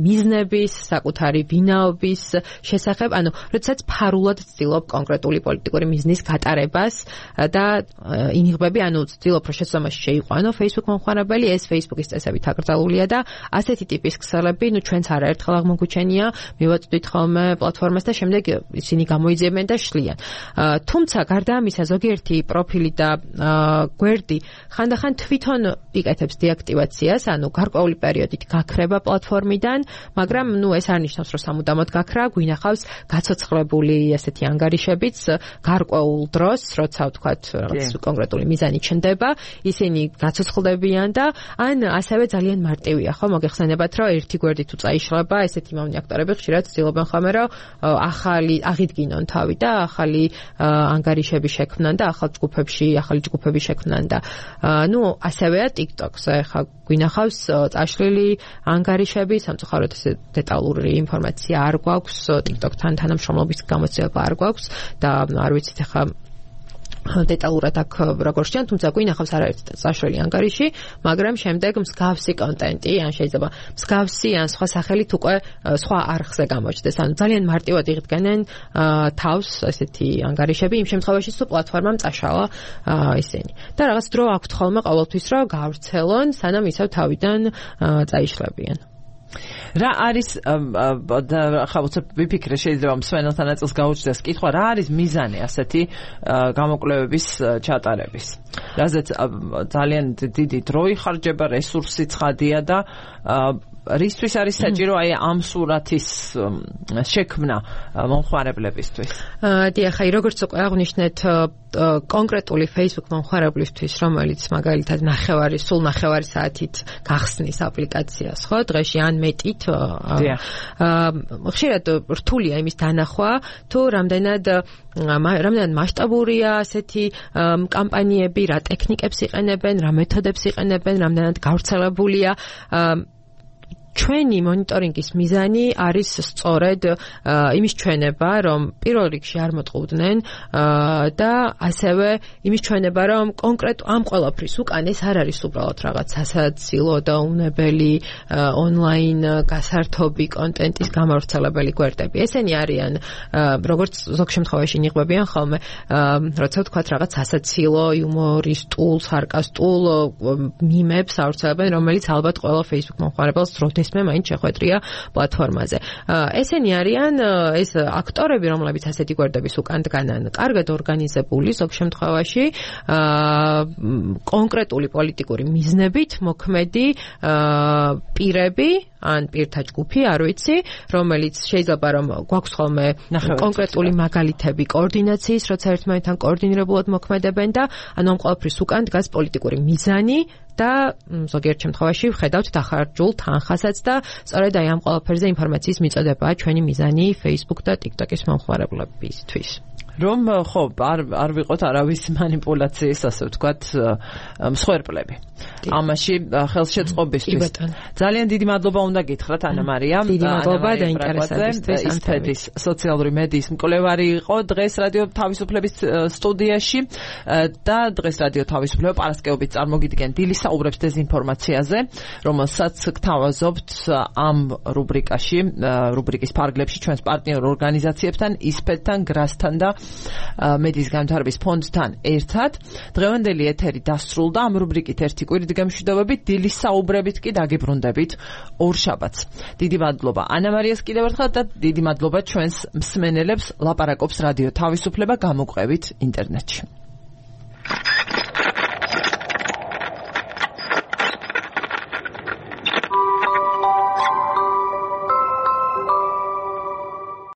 მიზნების საკუთარი ვინაობის შესახებ ანუ როდესაც ფარულად ცდილობ კონკრეტული პოლიტიკური მიზნის გატარებას და ინიღბები ანუ ცდილობ რომ შეცდომაში შეიყვანო Facebook მომხმარებელი ეს Facebook-ის წესებით აკრძალულია და ასეთი ტიპის ქსელები ნუ ჩვენც არაერთხელ აღმოგვიჩენია მივაწვდით ხოლმე პლატფორმას და შემდეგ ისინი გამოიძიებენ და შლიან თუმცა გარდა ამისა ზოგიერთი პროფილი და გვერდი ხანდახან თვითონ იკეთებს დეაქტივაციას ანუ გარკვეული პერიოდით გაქრება პლატფორმიდან მაგრამ ნუ ეს არ ნიშნავს რომ სამუდამოდ გაქრა გვინახავს გაცოცხლებული ასეთი ანგარიშებიც გარკვეულ დროს როცა ვთქვათ რაღაც კონკრეტული მიზანი ჩნდება ისინი გაცოცხლდებიან და ან ასევე ძალიან მარტივია ხო მოგეხსენებათ რომ ერთი გვერდი თუ წაიშლება ესეთი მომნი აქტორები ხშირად ცდილობენ ხოლმე რომ ახალი აღიდგინონ თავი და ახალი ანგარიშები შექმნან და ახალ ჯგუფებში ახალი ჯგუფები შექმნან და ნუ ასევეა TikTok-ზე ხა გვინახავს წაშლილი ანგარიშები სამწუხაროდ ესე დეტალური ინფორმაცია არ გვაქვს TikTok-თან თანამშრომლობის გამოცდილება არ გვაქვს და არ ვიცით ხა დეტალურად აქ როგორ შეჭან, თუმცა გვინახავს არაერთი წაშლილი ანგარიში, მაგრამ შემდეგ მსგავსი კონტენტი, ან შეიძლება მსგავსი ან სხვა სახელით უკვე სხვა არხზე გამოჩნდეს. ანუ ძალიან მარტივად იღდგენენ თავს ესეთი ანგარიშები იმ შემთხვევაში, თუ პლატფორმამ წაშალა ისინი. და რაღაც დრო აქვთ ხოლმე ყოველთვის რომ გავრცელონ, სანამ ისევ თავიდან წაიშლებიან. რა არის ხა უცებ ვიფიქრე შეიძლება მსვენელთა ნაწილს გაუჩნდეს კითხვა რა არის მიზანი ასეთი გამოკვლევების ჩატარების რაზეც ძალიან დიდი დრო იხარჯება რესურსი ცხადია და რისთვის არის საჭირო აი ამ სურათის შექმნა მომხმარებლებისთვის? დიახ, აი როგორც უკვე აღვნიშნეთ, კონკრეტული Facebook მომხმარებლისთვის, რომელიც მაგალითად ნახევარი, სულ ნახევარი საათით გახსნის აპლიკაციას, ხო, დღეში ან მეტით, ხშირად რთულია იმის დანახვა, თუ რამდენად რამდენად მასშტაბურია ასეთი კამპანიები, რა ტექნიკებს იყენებენ, რა მეთოდებს იყენებენ, რამდენად გავრცელებულია. ჩვენი მონიტორინგის მიზანი არის სწორედ იმის ჩვენება, რომ პირველ რიგში არ მოტყუდნენ და ასევე იმის ჩვენება, რომ კონკრეტ ამ ყველაფრის უკან ეს არ არის უბრალოდ რაღაც სასაცილო და უნებელი ონლაინ გასართობი კონტენტის გამავრცელებელი გვერდები. ესენი არიან, როგორც ზოგ შემთხვევაში ნიღბებიან ხოლმე, როცა ვთქვათ რაღაც სასაცილო, იუმორისტულ, სარკასტულ მიმებს ავრცელებენ, რომელიც ალბათ ყველა Facebook მომხმარებელს როდეს მე მაინც შეხვედრია პლატფორმაზე. ესენი არიან ეს აქტორები, რომლებიც ასეთი გვერდების უკან დგანან, კარგად ორგანიზებული ზოგ შემთხვევაში, კონკრეტული პოლიტიკური მიზნებით მოქმედი პირები, ან პირთა ჯგუფი, არ ვიცი, რომელიც შეიძლება რომ გვაქვს ხოლმე კონკრეტული მაგალითები კოორდინაციის, როცა ერთმანეთთან კოორდინირებულად მოქმედებენ და ანუ ამ ყველაფრის უკან დგას პოლიტიკური მიზანი და ზოგიერთ შემთხვევაში ვხედავთ დახარჯულ თანხასაც და სწორედ აი ამ ყველაფერზე ინფორმაციის მიწოდებაა ჩვენი მიზანი Facebook და TikTok-ის მომხმარებლებისთვის. რომ ხო არ არ ვიყოთ არავის манипуляციის, ასე ვთქვათ, მსხვერპლები. ამაში ხელშეწყობისთვის. ძალიან დიდი მადლობა უნდა გითხრათ ანა მარია. დიდი მადლობა დაინტერესებისთვის. ისფედის სოციალური მედიის მკვლევარი იყო დღეს რადიო თავისუფლების სტუდიაში და დღეს რადიო თავისუფლება პარასკევობით წარმოგიდგენ დილის საუბრებს დეзинფორმაციაზე, რომელსაც გთავაზობთ ამ რუბრიკაში, რუბრიკის ფარგლებში ჩვენს პარტნიორ ორგანიზაციებთან, ისფედთან, გრასთან და მედიის განვითარების ფონდთან ერთად. დღევანდელი ეთერი დასრულდა. ამ რუბრიკით ერთი კვირით გამშვიდობებით, დილის საუბრებით კი დაგიბრუნდებით ორშაბათს. დიდი მადლობა ანა მარიას კიდევ ერთხელ და დიდი მადლობა ჩვენს მსმენელებს. ლაპარაკობს რადიო თავისუფლება გამოგვყევით ინტერნეტში.